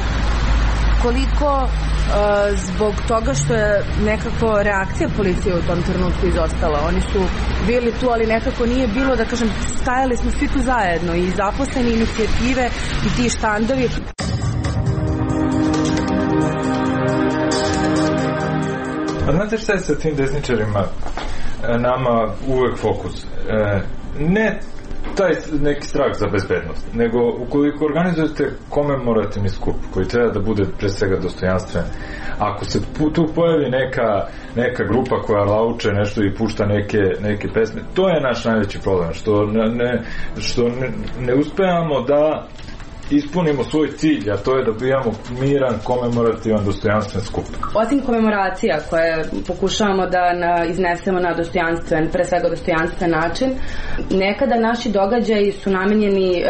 koliko Uh, zbog toga što je nekako reakcija policije u tom trenutku izostala. Oni su bili tu, ali nekako nije bilo, da kažem, stajali smo svi tu zajedno, i zaposleni, inicijative i ti štandovi. A znate šta je sa tim desničarima? Nama uvek fokus. E, ne taj neki strah za bezbednost, nego ukoliko organizujete komemorativni skup koji treba da bude pre svega dostojanstven, ako se tu pojavi neka, neka grupa koja lauče nešto i pušta neke, neke pesme, to je naš najveći problem, što ne, što ne, ne uspevamo da ispunimo svoj cilj, a to je da bijamo miran, komemorativan, dostojanstven skup. Osim komemoracija koje pokušavamo da na, iznesemo na dostojanstven, pre svega dostojanstven način, nekada naši događaji su namenjeni e,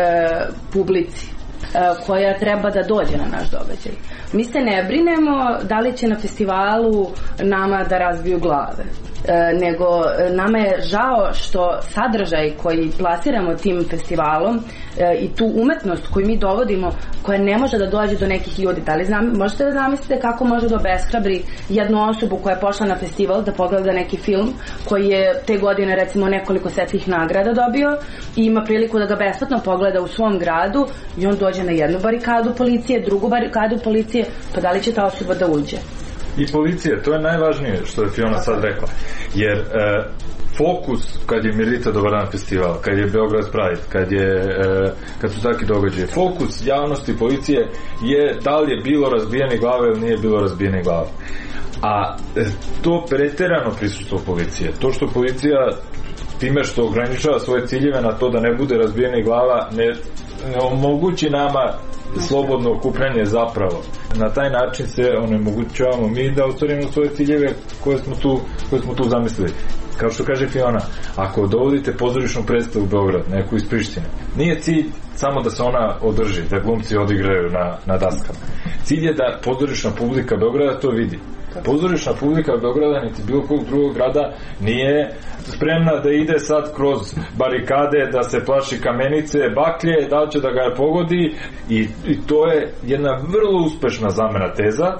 publici e, koja treba da dođe na naš događaj. Mi se ne brinemo da li će na festivalu nama da razbiju glave. E, nego nama je žao što sadržaj koji plasiramo tim festivalom e, i tu umetnost koju mi dovodimo, koja ne može da dođe do nekih ljudi. Da li znam, možete da zamislite kako može da obeshrabri jednu osobu koja je pošla na festival da pogleda neki film koji je te godine recimo nekoliko svetskih nagrada dobio i ima priliku da ga besplatno pogleda u svom gradu, i on dođe na jednu barikadu policije, drugu barikadu policije, pa da li će ta osoba da uđe? I policije, to je najvažnije što je Fiona sad rekla, jer e, fokus kad je Mirdita Dobar dan festival, kad je Beograd Pride, kad, je, e, kad su taki događaje, fokus javnosti policije je da li je bilo razbijene glave ili nije bilo razbijene glave. A e, to preterano prisustvo policije, to što policija time što ograničava svoje ciljeve na to da ne bude razbijene glava, ne, ne omogući nama slobodno okupljanje zapravo. Na taj način se onemogućavamo mi da ostvarimo svoje ciljeve koje smo tu, koje smo tu zamislili. Kao što kaže Fiona, ako dovodite pozorišnu predstavu u Beograd, neku iz Prištine, nije cilj samo da se ona održi, da glumci odigraju na, na daskama. Cilj je da pozorišna publika Beograda to vidi. Pozorišna publika Beograda niti bilo kog drugog grada nije spremna da ide sad kroz barikade, da se plaši kamenice, baklje, da će da ga pogodi i, i to je jedna vrlo uspešna zamena teza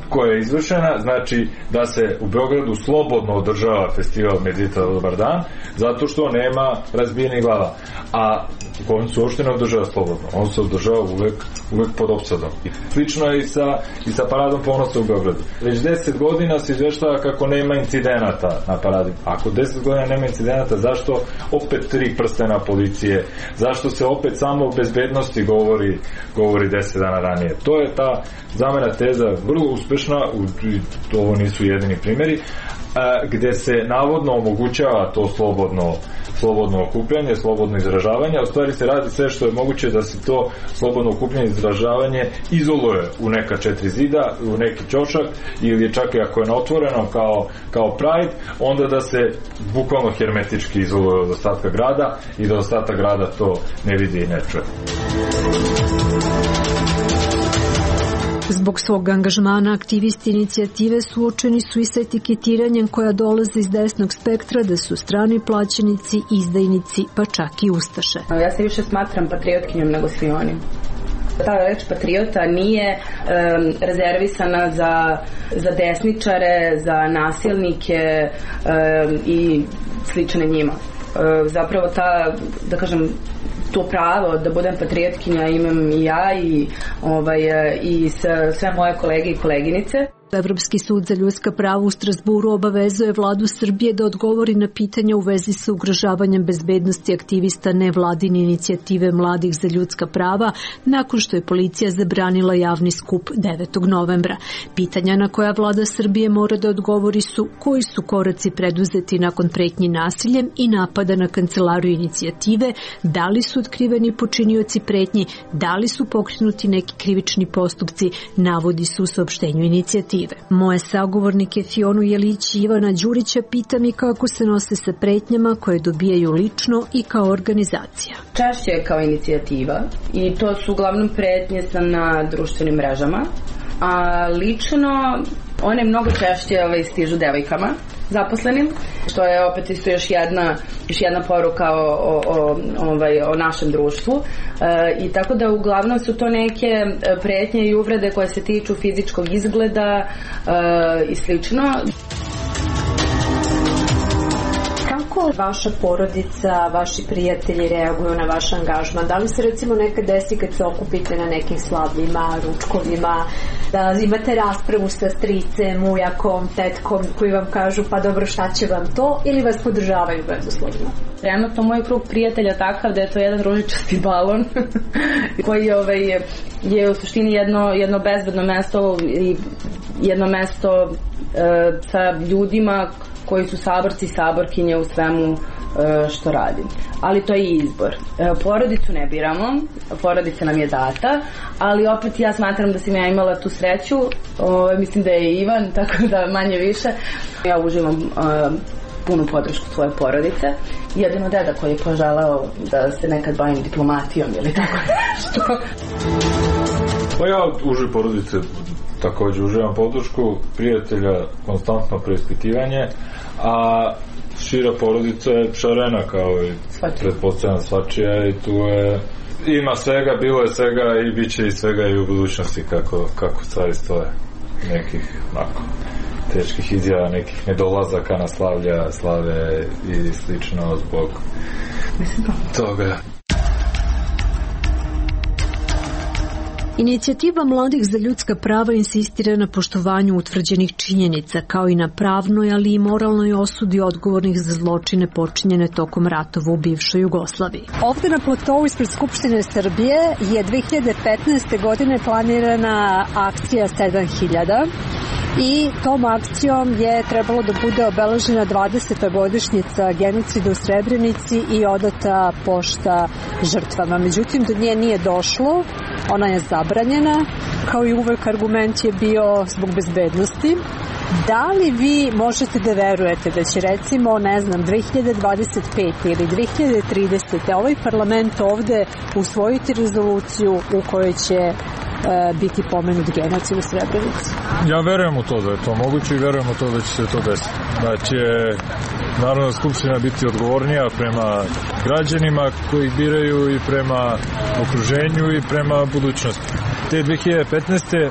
koja je izvršena, znači da se u Beogradu slobodno održava festival Mirdita Dobar dan, zato što nema razbijenih glava. A on se uopšte ne održava slobodno, on se održava uvek, uvek pod opsadom. I slično je i sa, i sa paradom ponosa u Beogradu. Već deset godina se izveštava kako nema incidenata na paradi. Ako deset godina nema incidenata, zašto opet tri prstena policije? Zašto se opet samo o bezbednosti govori, govori deset dana ranije? To je ta zamena teza vrlo uspešna, ovo nisu jedini primjeri, gde se navodno omogućava to slobodno slobodno okupljanje, slobodno izražavanje, a u stvari se radi sve što je moguće da se to slobodno okupljanje i izražavanje izoluje u neka četiri zida, u neki ćošak ili čak i ako je na otvoreno kao, kao Pride, onda da se bukvalno hermetički izoluje od ostatka grada i da ostatak grada to ne vidi i ne čuje. Zbog svog angažmana aktivisti inicijative suočeni su i sa etiketiranjem koja dolaze iz desnog spektra da su strani plaćenici, izdajnici, pa čak i ustaše. Ja se više smatram patriotkinjom nego svi oni. Ta reč patriota nije um, rezervisana za, za desničare, za nasilnike um, i slične njima. Um, zapravo ta, da kažem, to pravo da budem patriotkinja imam i ja i, ovaj, i sve moje kolege i koleginice. Evropski sud za ljudska prava u Strasburu obavezuje vladu Srbije da odgovori na pitanja u vezi sa ugrožavanjem bezbednosti aktivista nevladine inicijative Mladih za ljudska prava nakon što je policija zabranila javni skup devetog novembra. Pitanja na koja vlada Srbije mora da odgovori su koji su koraci preduzeti nakon pretnji nasiljem i napada na kancelariju inicijative, da li su otkriveni počinioci pretnji, da li su pokrenuti neki krivični postupci, navodi se u saopštenju inicijative. Moje sagovornike Fionu Jelić i Ivana Đurića pita mi kako se nose sa pretnjama koje dobijaju lično i kao organizacija. Češće je kao inicijativa i to su uglavnom pretnje na društvenim mrežama, a lično one mnogo češće ovaj, stižu devojkama zaposlenim, što je opet isto još jedna, još jedna poruka o, o, o, ovaj, o našem društvu. E, i tako da uglavnom su to neke pretnje i uvrede koje se tiču fizičkog izgleda e, i slično. Kako vaša porodica, vaši prijatelji reaguju na vaš angažman? Da li se recimo nekad desi kad se okupite na nekim slavljima, ručkovima, da imate raspravu sa stricem, ujakom, tetkom koji vam kažu pa dobro šta će vam to ili vas podržavaju bezuslovno? Trenutno moj krug prijatelja takav da je to jedan ružičasti balon koji ovaj, je u suštini jedno, jedno bezbedno mesto i jedno mesto e, sa ljudima koji su saborci i saborkinje u svemu što radim. Ali to je izbor. Porodicu ne biramo, porodica nam je data, ali opet ja smatram da sam ja imala tu sreću, o, mislim da je Ivan, tako da manje više. Ja uživam o, punu podršku svoje porodice. Jedino deda koji je poželeo da se nekad bavim diplomatijom ili tako nešto. Pa ja uživ porodice također uživam podršku, prijatelja konstantno preispitivanje, a šira porodica je šarena kao i pretpostavljena svačija i tu je ima svega, bilo je svega i bit će i svega i u budućnosti kako, kako stvari stoje. Nekih onako teških izjava, nekih nedolazaka na slavlja, slave i slično zbog toga. Inicijativa Mladih za ljudska prava insistira na poštovanju utvrđenih činjenica, kao i na pravnoj, ali i moralnoj osudi odgovornih za zločine počinjene tokom ratova u bivšoj Jugoslaviji. Ovde na platovu ispred Skupštine Srbije je dve hiljade petnaeste. godine planirana akcija sedam hiljada i tom akcijom je trebalo da bude obeležena dvadeseta godišnjica genocida u Srebrenici i odata pošta žrtvama. Međutim, do nje nije došlo, ona je zabranjena, kao i uvek argument je bio zbog bezbednosti. Da li vi možete da verujete da će recimo, ne znam, dve hiljade dvadeset pete. ili dve hiljade tridesete. ovaj parlament ovde usvojiti rezoluciju u kojoj će biti pomenut genocid u Srebrenici? Ja verujem u to da je to moguće i verujem u to da će se to desiti. Da će Narodna skupština biti odgovornija prema građanima koji ih biraju i prema okruženju i prema budućnosti. Te dve hiljade petnaeste.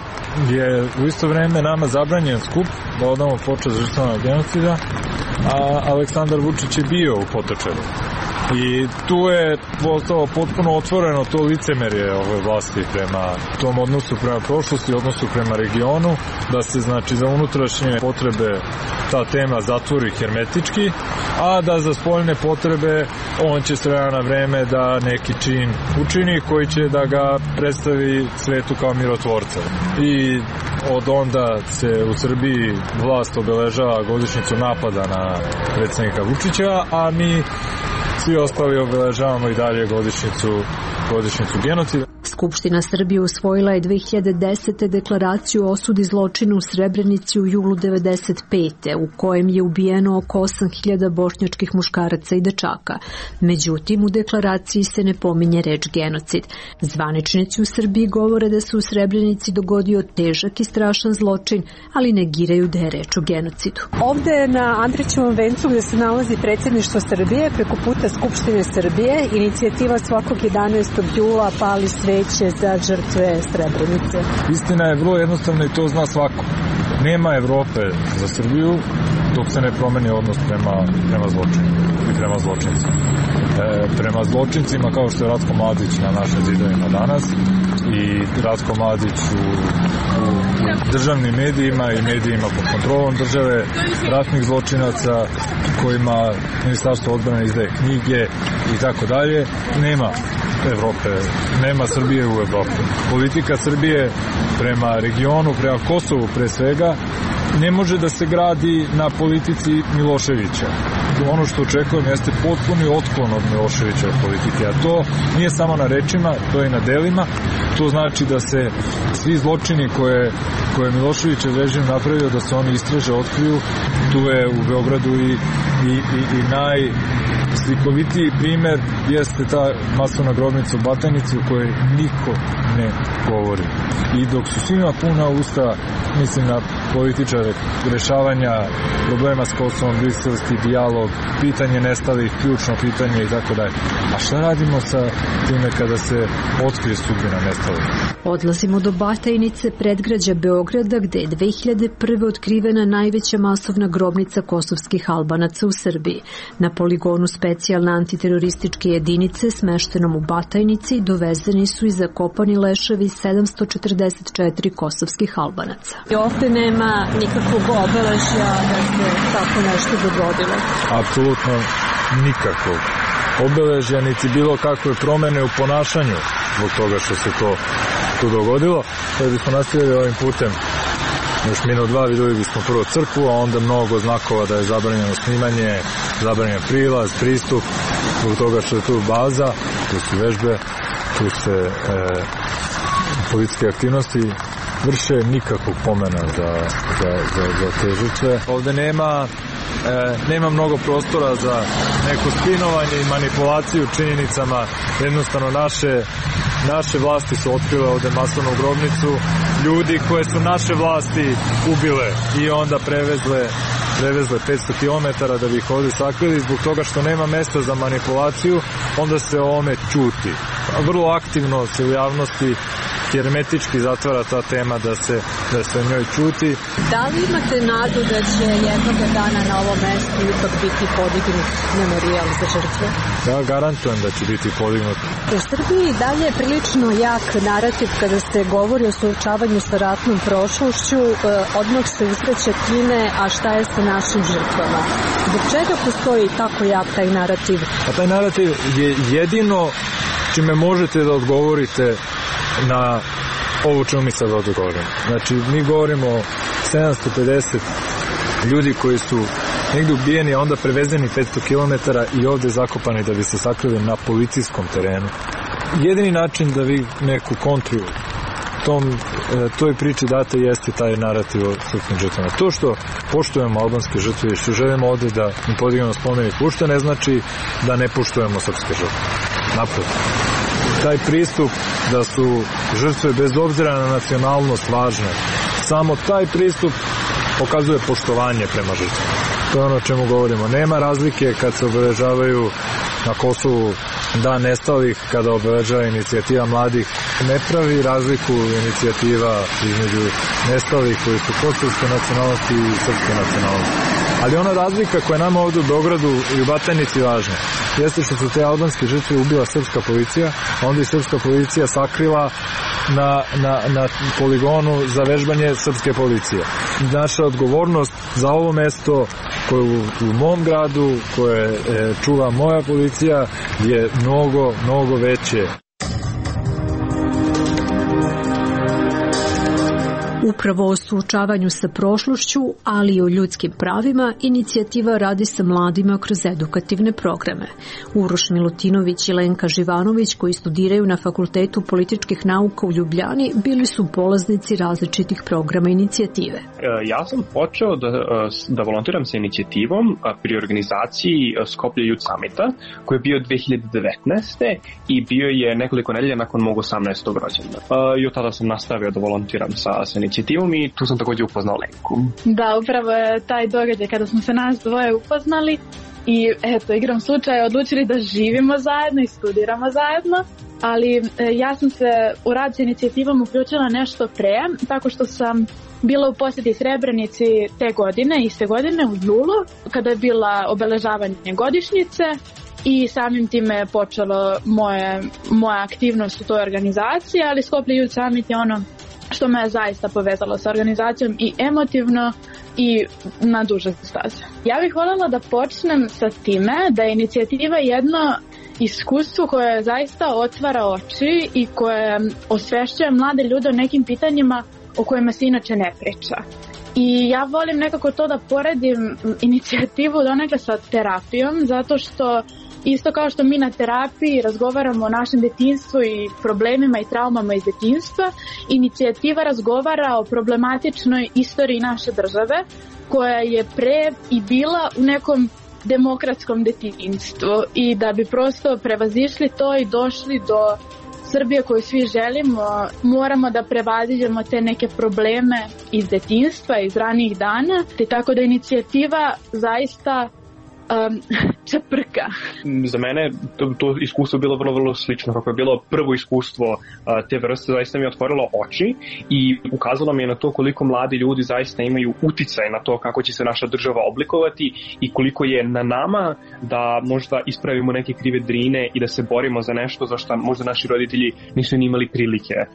je u isto vreme nama zabranjen skup da odamo počast žrtvama genocida, a Aleksandar Vučić je bio u Potočaru. I tu je postalo potpuno otvoreno to licemerje ove vlasti prema tom odnosu prema prošlosti, odnosu prema regionu, da se znači za unutrašnje potrebe ta tema zatvori hermetički, a da za spoljne potrebe on će s vremena na vreme da neki čin učini koji će da ga predstavi svetu kao mirotvorca. I od onda se u Srbiji vlast obeležava godišnjicu napada na predsjednika Vučića, a mi svi ostali obeležavamo i dalje godišnjicu, godišnjicu genocida. Skupština Srbije usvojila je dve hiljade desete. deklaraciju o osudi zločina u Srebrenici u julu devedeset pete. u kojem je ubijeno oko osam hiljada bošnjačkih muškaraca i dečaka. Međutim, u deklaraciji se ne pominje reč genocid. Zvaničnici u Srbiji govore da se u Srebrenici dogodio težak i strašan zločin, ali negiraju da je reč o genocidu. Ovde na Andrićevom vencu gde se nalazi predsjedništvo Srbije, preko puta Skupštine Srbije, inicijativa svakog jedanaestog jula pali sveće za žrtve Srebrenice. Istina je vrlo jednostavna i to zna svako. Nema Evrope za Srbiju dok se ne promeni odnos prema, prema zločinu i prema zločincima. E, prema zločincima kao što je Ratko Mladić na našim zidovima danas i Ratko Mladić u, u, u državnim medijima i medijima pod kontrolom države, ratnih zločinaca kojima Ministarstvo odbrane izdaje knjige i tako dalje, nema Evrope, nema Srbije u Evropi. Politika Srbije prema regionu, prema Kosovu pre svega, ne može da se gradi na politici Miloševića. Ono što očekujem jeste potpuni otklon od Miloševićeve politike, a to nije samo na rečima, to je i na delima. To znači da se svi zločini koje, koje Miloševićev režim napravio, da se oni istraže, otkriju. Tu je u Beogradu i, i, i, i naj slikovitiji primer jeste ta masovna grobnica u Batajnici u kojoj niko ne govori. I dok su svima puna usta, mislim na političare, rešavanja problema s Kosovom, briselski dijalog, pitanje nestalih, ključno pitanje i tako dalje. A šta radimo sa time kada se otkrije sudbina nestalih? Odlazimo do Batajnice, predgrađa Beograda, gde je dve hiljade prve. otkrivena najveća masovna grobnica kosovskih Albanaca u Srbiji. Na poligonu specijalne antiterorističke jedinice smeštenom u Batajnici dovezeni su i zakopani leševi sedamsto četrdeset četiri kosovskih Albanaca. I ovde nema nikakvog obeležja da se tako nešto dogodilo? Apsolutno nikakvog obeležja, niti bilo kakve promene u ponašanju zbog toga što se to tu dogodilo. Kada bismo nastavili ovim putem još minut dva, videli bismo prvo crkvu, a onda mnogo znakova da je zabranjeno snimanje, zabranjen prilaz, pristup, zbog toga što je tu baza, tu su vežbe, tu se e, policijske aktivnosti vrše, nikakvog pomena za, za, za, za te žrtve. Ovde nema, e, nema mnogo prostora za neko spinovanje i manipulaciju činjenicama. Jednostavno naše, naše vlasti su otkrile ovde masovnu grobnicu ljudi koje su naše vlasti ubile i onda prevezle prevezle petsto kilometara da bi ih ovde sakrili. Zbog toga što nema mesta za manipulaciju, onda se o ovome ćuti. Vrlo aktivno se u javnosti hermetički zatvara ta tema da se, da se o njoj ćuti. Da li imate nadu da će jednog dana na ovom mestu ipak biti podignut memorijal za žrtve? Ja garantujem da će biti podignut. U Srbiji dalje je prilično jak narativ kada se govori o suočavanju sa ratnom prošlošću, odmah se usreće time, a šta je sa našim žrtvama? Zbog čega postoji tako jak taj narativ? A taj narativ je jedino čime možete da odgovorite na ovo čemu mi sad ovdje govorimo. Znači, mi govorimo o sedamsto pedeset ljudi koji su negdje ubijeni, a onda prevezeni petsto kilometara i ovdje zakopani da bi se sakrili na policijskom terenu. Jedini način da vi neku kontru tom, toj priči date jeste taj narativ o srpskim žrtvama. To što poštujemo albanske žrtve i što želimo ovdje da im podignemo spomenik, uopšte ne znači da ne poštujemo srpske žrtve. Naprotiv. taj pristup da su žrtve bez obzira na nacionalnost važne, samo taj pristup pokazuje poštovanje prema žrtvama. To je ono o čemu govorimo. Nema razlike kad se obeležavaju na Kosovu Dan nestalih, kada obeležava inicijativa mladih. Ne pravi razliku inicijativa između nestalih koji su kosovske nacionalnosti i srpske nacionalnosti. Ali ona razlika koja je nama ovdje u Beogradu i u Batajnici važna jeste što su te albanske žrtve ubila srpska policija, a onda i srpska policija sakrila na, na, na poligonu za vežbanje srpske policije. Naša odgovornost za ovo mesto koje u, u mom gradu, koje e, čuva moja policija, je mnogo, mnogo veće. Upravo o suočavanju sa prošlošću, ali i o ljudskim pravima, inicijativa radi sa mladima kroz edukativne programe. Uroš Milutinović i Lenka Živanović, koji studiraju na Fakultetu političkih nauka u Ljubljani, bili su polaznici različitih programa inicijative. Ja sam počeo da, da volontiram sa inicijativom pri organizaciji Skoplje Youth Summita, koji je bio dve hiljade devetnaeste. i bio je nekoliko nedelja nakon mog osamnaestog rođendana. I od tada sam nastavio da volontiram sa, sa inicijativom i tu sam također upoznao Lenku. Da, upravo je taj događaj kada smo se nas dvoje upoznali i eto, igrom slučaja odlučili da živimo zajedno i studiramo zajedno, ali e, ja sam se u rad s inicijativom uključila nešto pre, tako što sam bila u posjeti Srebrenici te godine, iste godine u julu, kada je bila obeležavanje godišnjice i samim time je počelo moje, moja aktivnost u toj organizaciji, ali Skoplje Youth Summit je ono što me je zaista povezalo sa organizacijom i emotivno i na duže staze. Ja bih voljela da počnem sa time da je inicijativa jedno iskustvo koje zaista otvara oči i koje osvešćuje mlade ljude o nekim pitanjima o kojima se inače ne priča. I ja volim nekako to da poredim inicijativu donekle sa terapijom, zato što isto kao što mi na terapiji razgovaramo o našem detinjstvu i problemima i traumama iz detinjstva, inicijativa razgovara o problematičnoj istoriji naše države koja je pre i bila u nekom demokratskom detinjstvu i da bi prosto prevazišli to i došli do Srbije koju svi želimo, moramo da prevaziđemo te neke probleme iz detinjstva, iz ranijih dana, te tako da inicijativa zaista Um, čeprka. Za mene to, to iskustvo bilo vrlo, vrlo slično. Kako je bilo prvo iskustvo uh, te vrste, zaista mi je otvorilo oči i ukazalo mi je na to koliko mladi ljudi zaista imaju uticaj na to kako će se naša država oblikovati i koliko je na nama da možda ispravimo neke krive drine i da se borimo za nešto za što možda naši roditelji nisu ni imali prilike uh,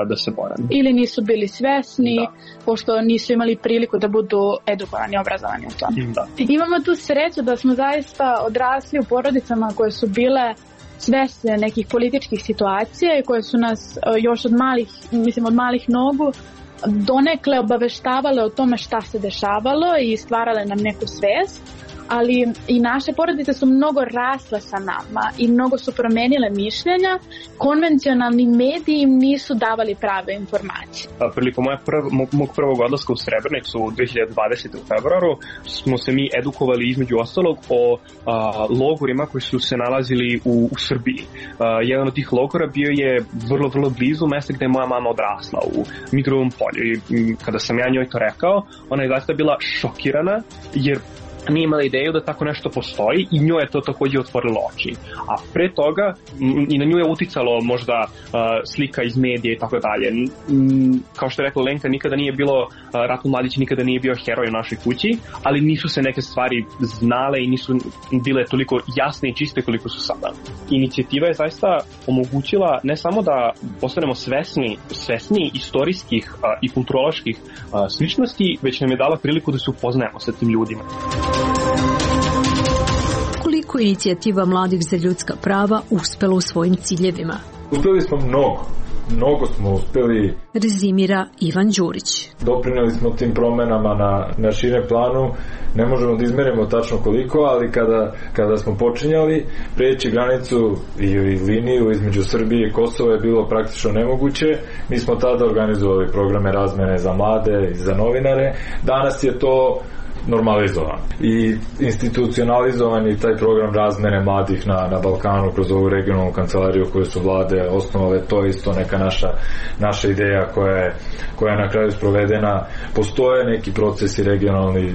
da se bore. Ili nisu bili svesni, da. Pošto nisu imali priliku da budu edukovani, obrazovani u tom. Da. Imamo tu sreću da smo zaista odrasli u porodicama koje su bile svesne nekih političkih situacija i koje su nas još od malih, mislim od malih nogu donekle obaveštavale o tome šta se dešavalo i stvarale nam neku svest, ali i naše porodice su mnogo rasle sa nama i mnogo su promenile mišljenja. Konvencionalni mediji im nisu davali prave informacije. Prilikom moja prv, mog prvog odlaska u Srebrenicu u dve hiljade dvadesete. u februaru smo se mi edukovali između ostalog o a, logorima koji su se nalazili u, u Srbiji. A, jedan od tih logora bio je vrlo, vrlo blizu mesta gde je moja mama odrasla, u Mitrovom polju. I kada sam ja njoj to rekao, ona je zaista bila šokirana jer nije imala ideju da tako nešto postoji i njoj je to također otvorilo oči. A pre toga m, i na nju je uticalo možda uh, slika iz medija i tako dalje. M, kao što je rekla Lenka, nikada nije bilo, uh, Ratko Mladić nikada nije bio heroj u našoj kući, ali nisu se neke stvari znale i nisu bile toliko jasne i čiste koliko su sada. Inicijativa je zaista omogućila ne samo da postanemo svesni, svesni istorijskih uh, i kulturoloških uh, sličnosti, već nam je dala priliku da se upoznajemo sa tim ljudima. Koliko inicijativa mladih za ljudska prava uspela u svojim ciljevima? Uspeli smo mnogo. Mnogo smo uspeli. Rezimira Ivan Đurić. Doprineli smo tim promenama na, na širem planu. Ne možemo da izmerimo tačno koliko, ali kada, kada smo počinjali preći granicu i, i liniju između Srbije i Kosova je bilo praktično nemoguće. Mi smo tada organizovali programe razmene za mlade i za novinare. Danas je to normalizovan i institucionalizovan i taj program razmene mladih na, na Balkanu kroz ovu regionalnu kancelariju koju su vlade osnovale. To je isto neka naša, naša ideja koja je, koja je na kraju sprovedena. Postoje neki procesi regionalni e,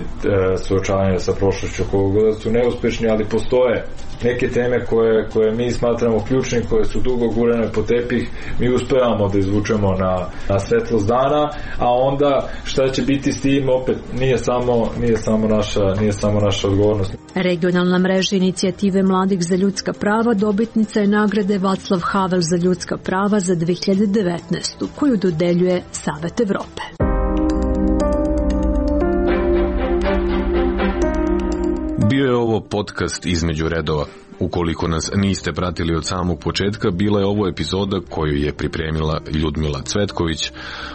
suočavanja sa prošlošću koga su neuspešni, ali postoje neke teme koje, koje mi smatramo ključni, koje su dugo gurane po tepih, mi uspevamo da izvučemo na, na svetlost dana, a onda šta će biti s tim opet nije samo, nije samo naša, nije samo naša odgovornost. Regionalna mreža inicijative mladih za ljudska prava dobitnica je nagrade Václav Havel za ljudska prava za dve hiljade devetnaestu koju dodeljuje Savet Evrope. Bio je ovo podcast Između redova. Ukoliko nas niste pratili od samog početka, bila je ovo epizoda koju je pripremila Ljudmila Cvetković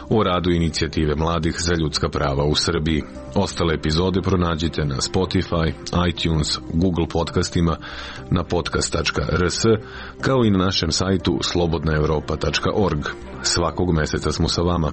o radu inicijative mladih za ljudska prava u Srbiji. Ostale epizode pronađite na Spotify, iTunes, Google podcastima, na podcast tačka r s, kao i na našem sajtu slobodna europa tačka org. Svakog meseca smo sa vama.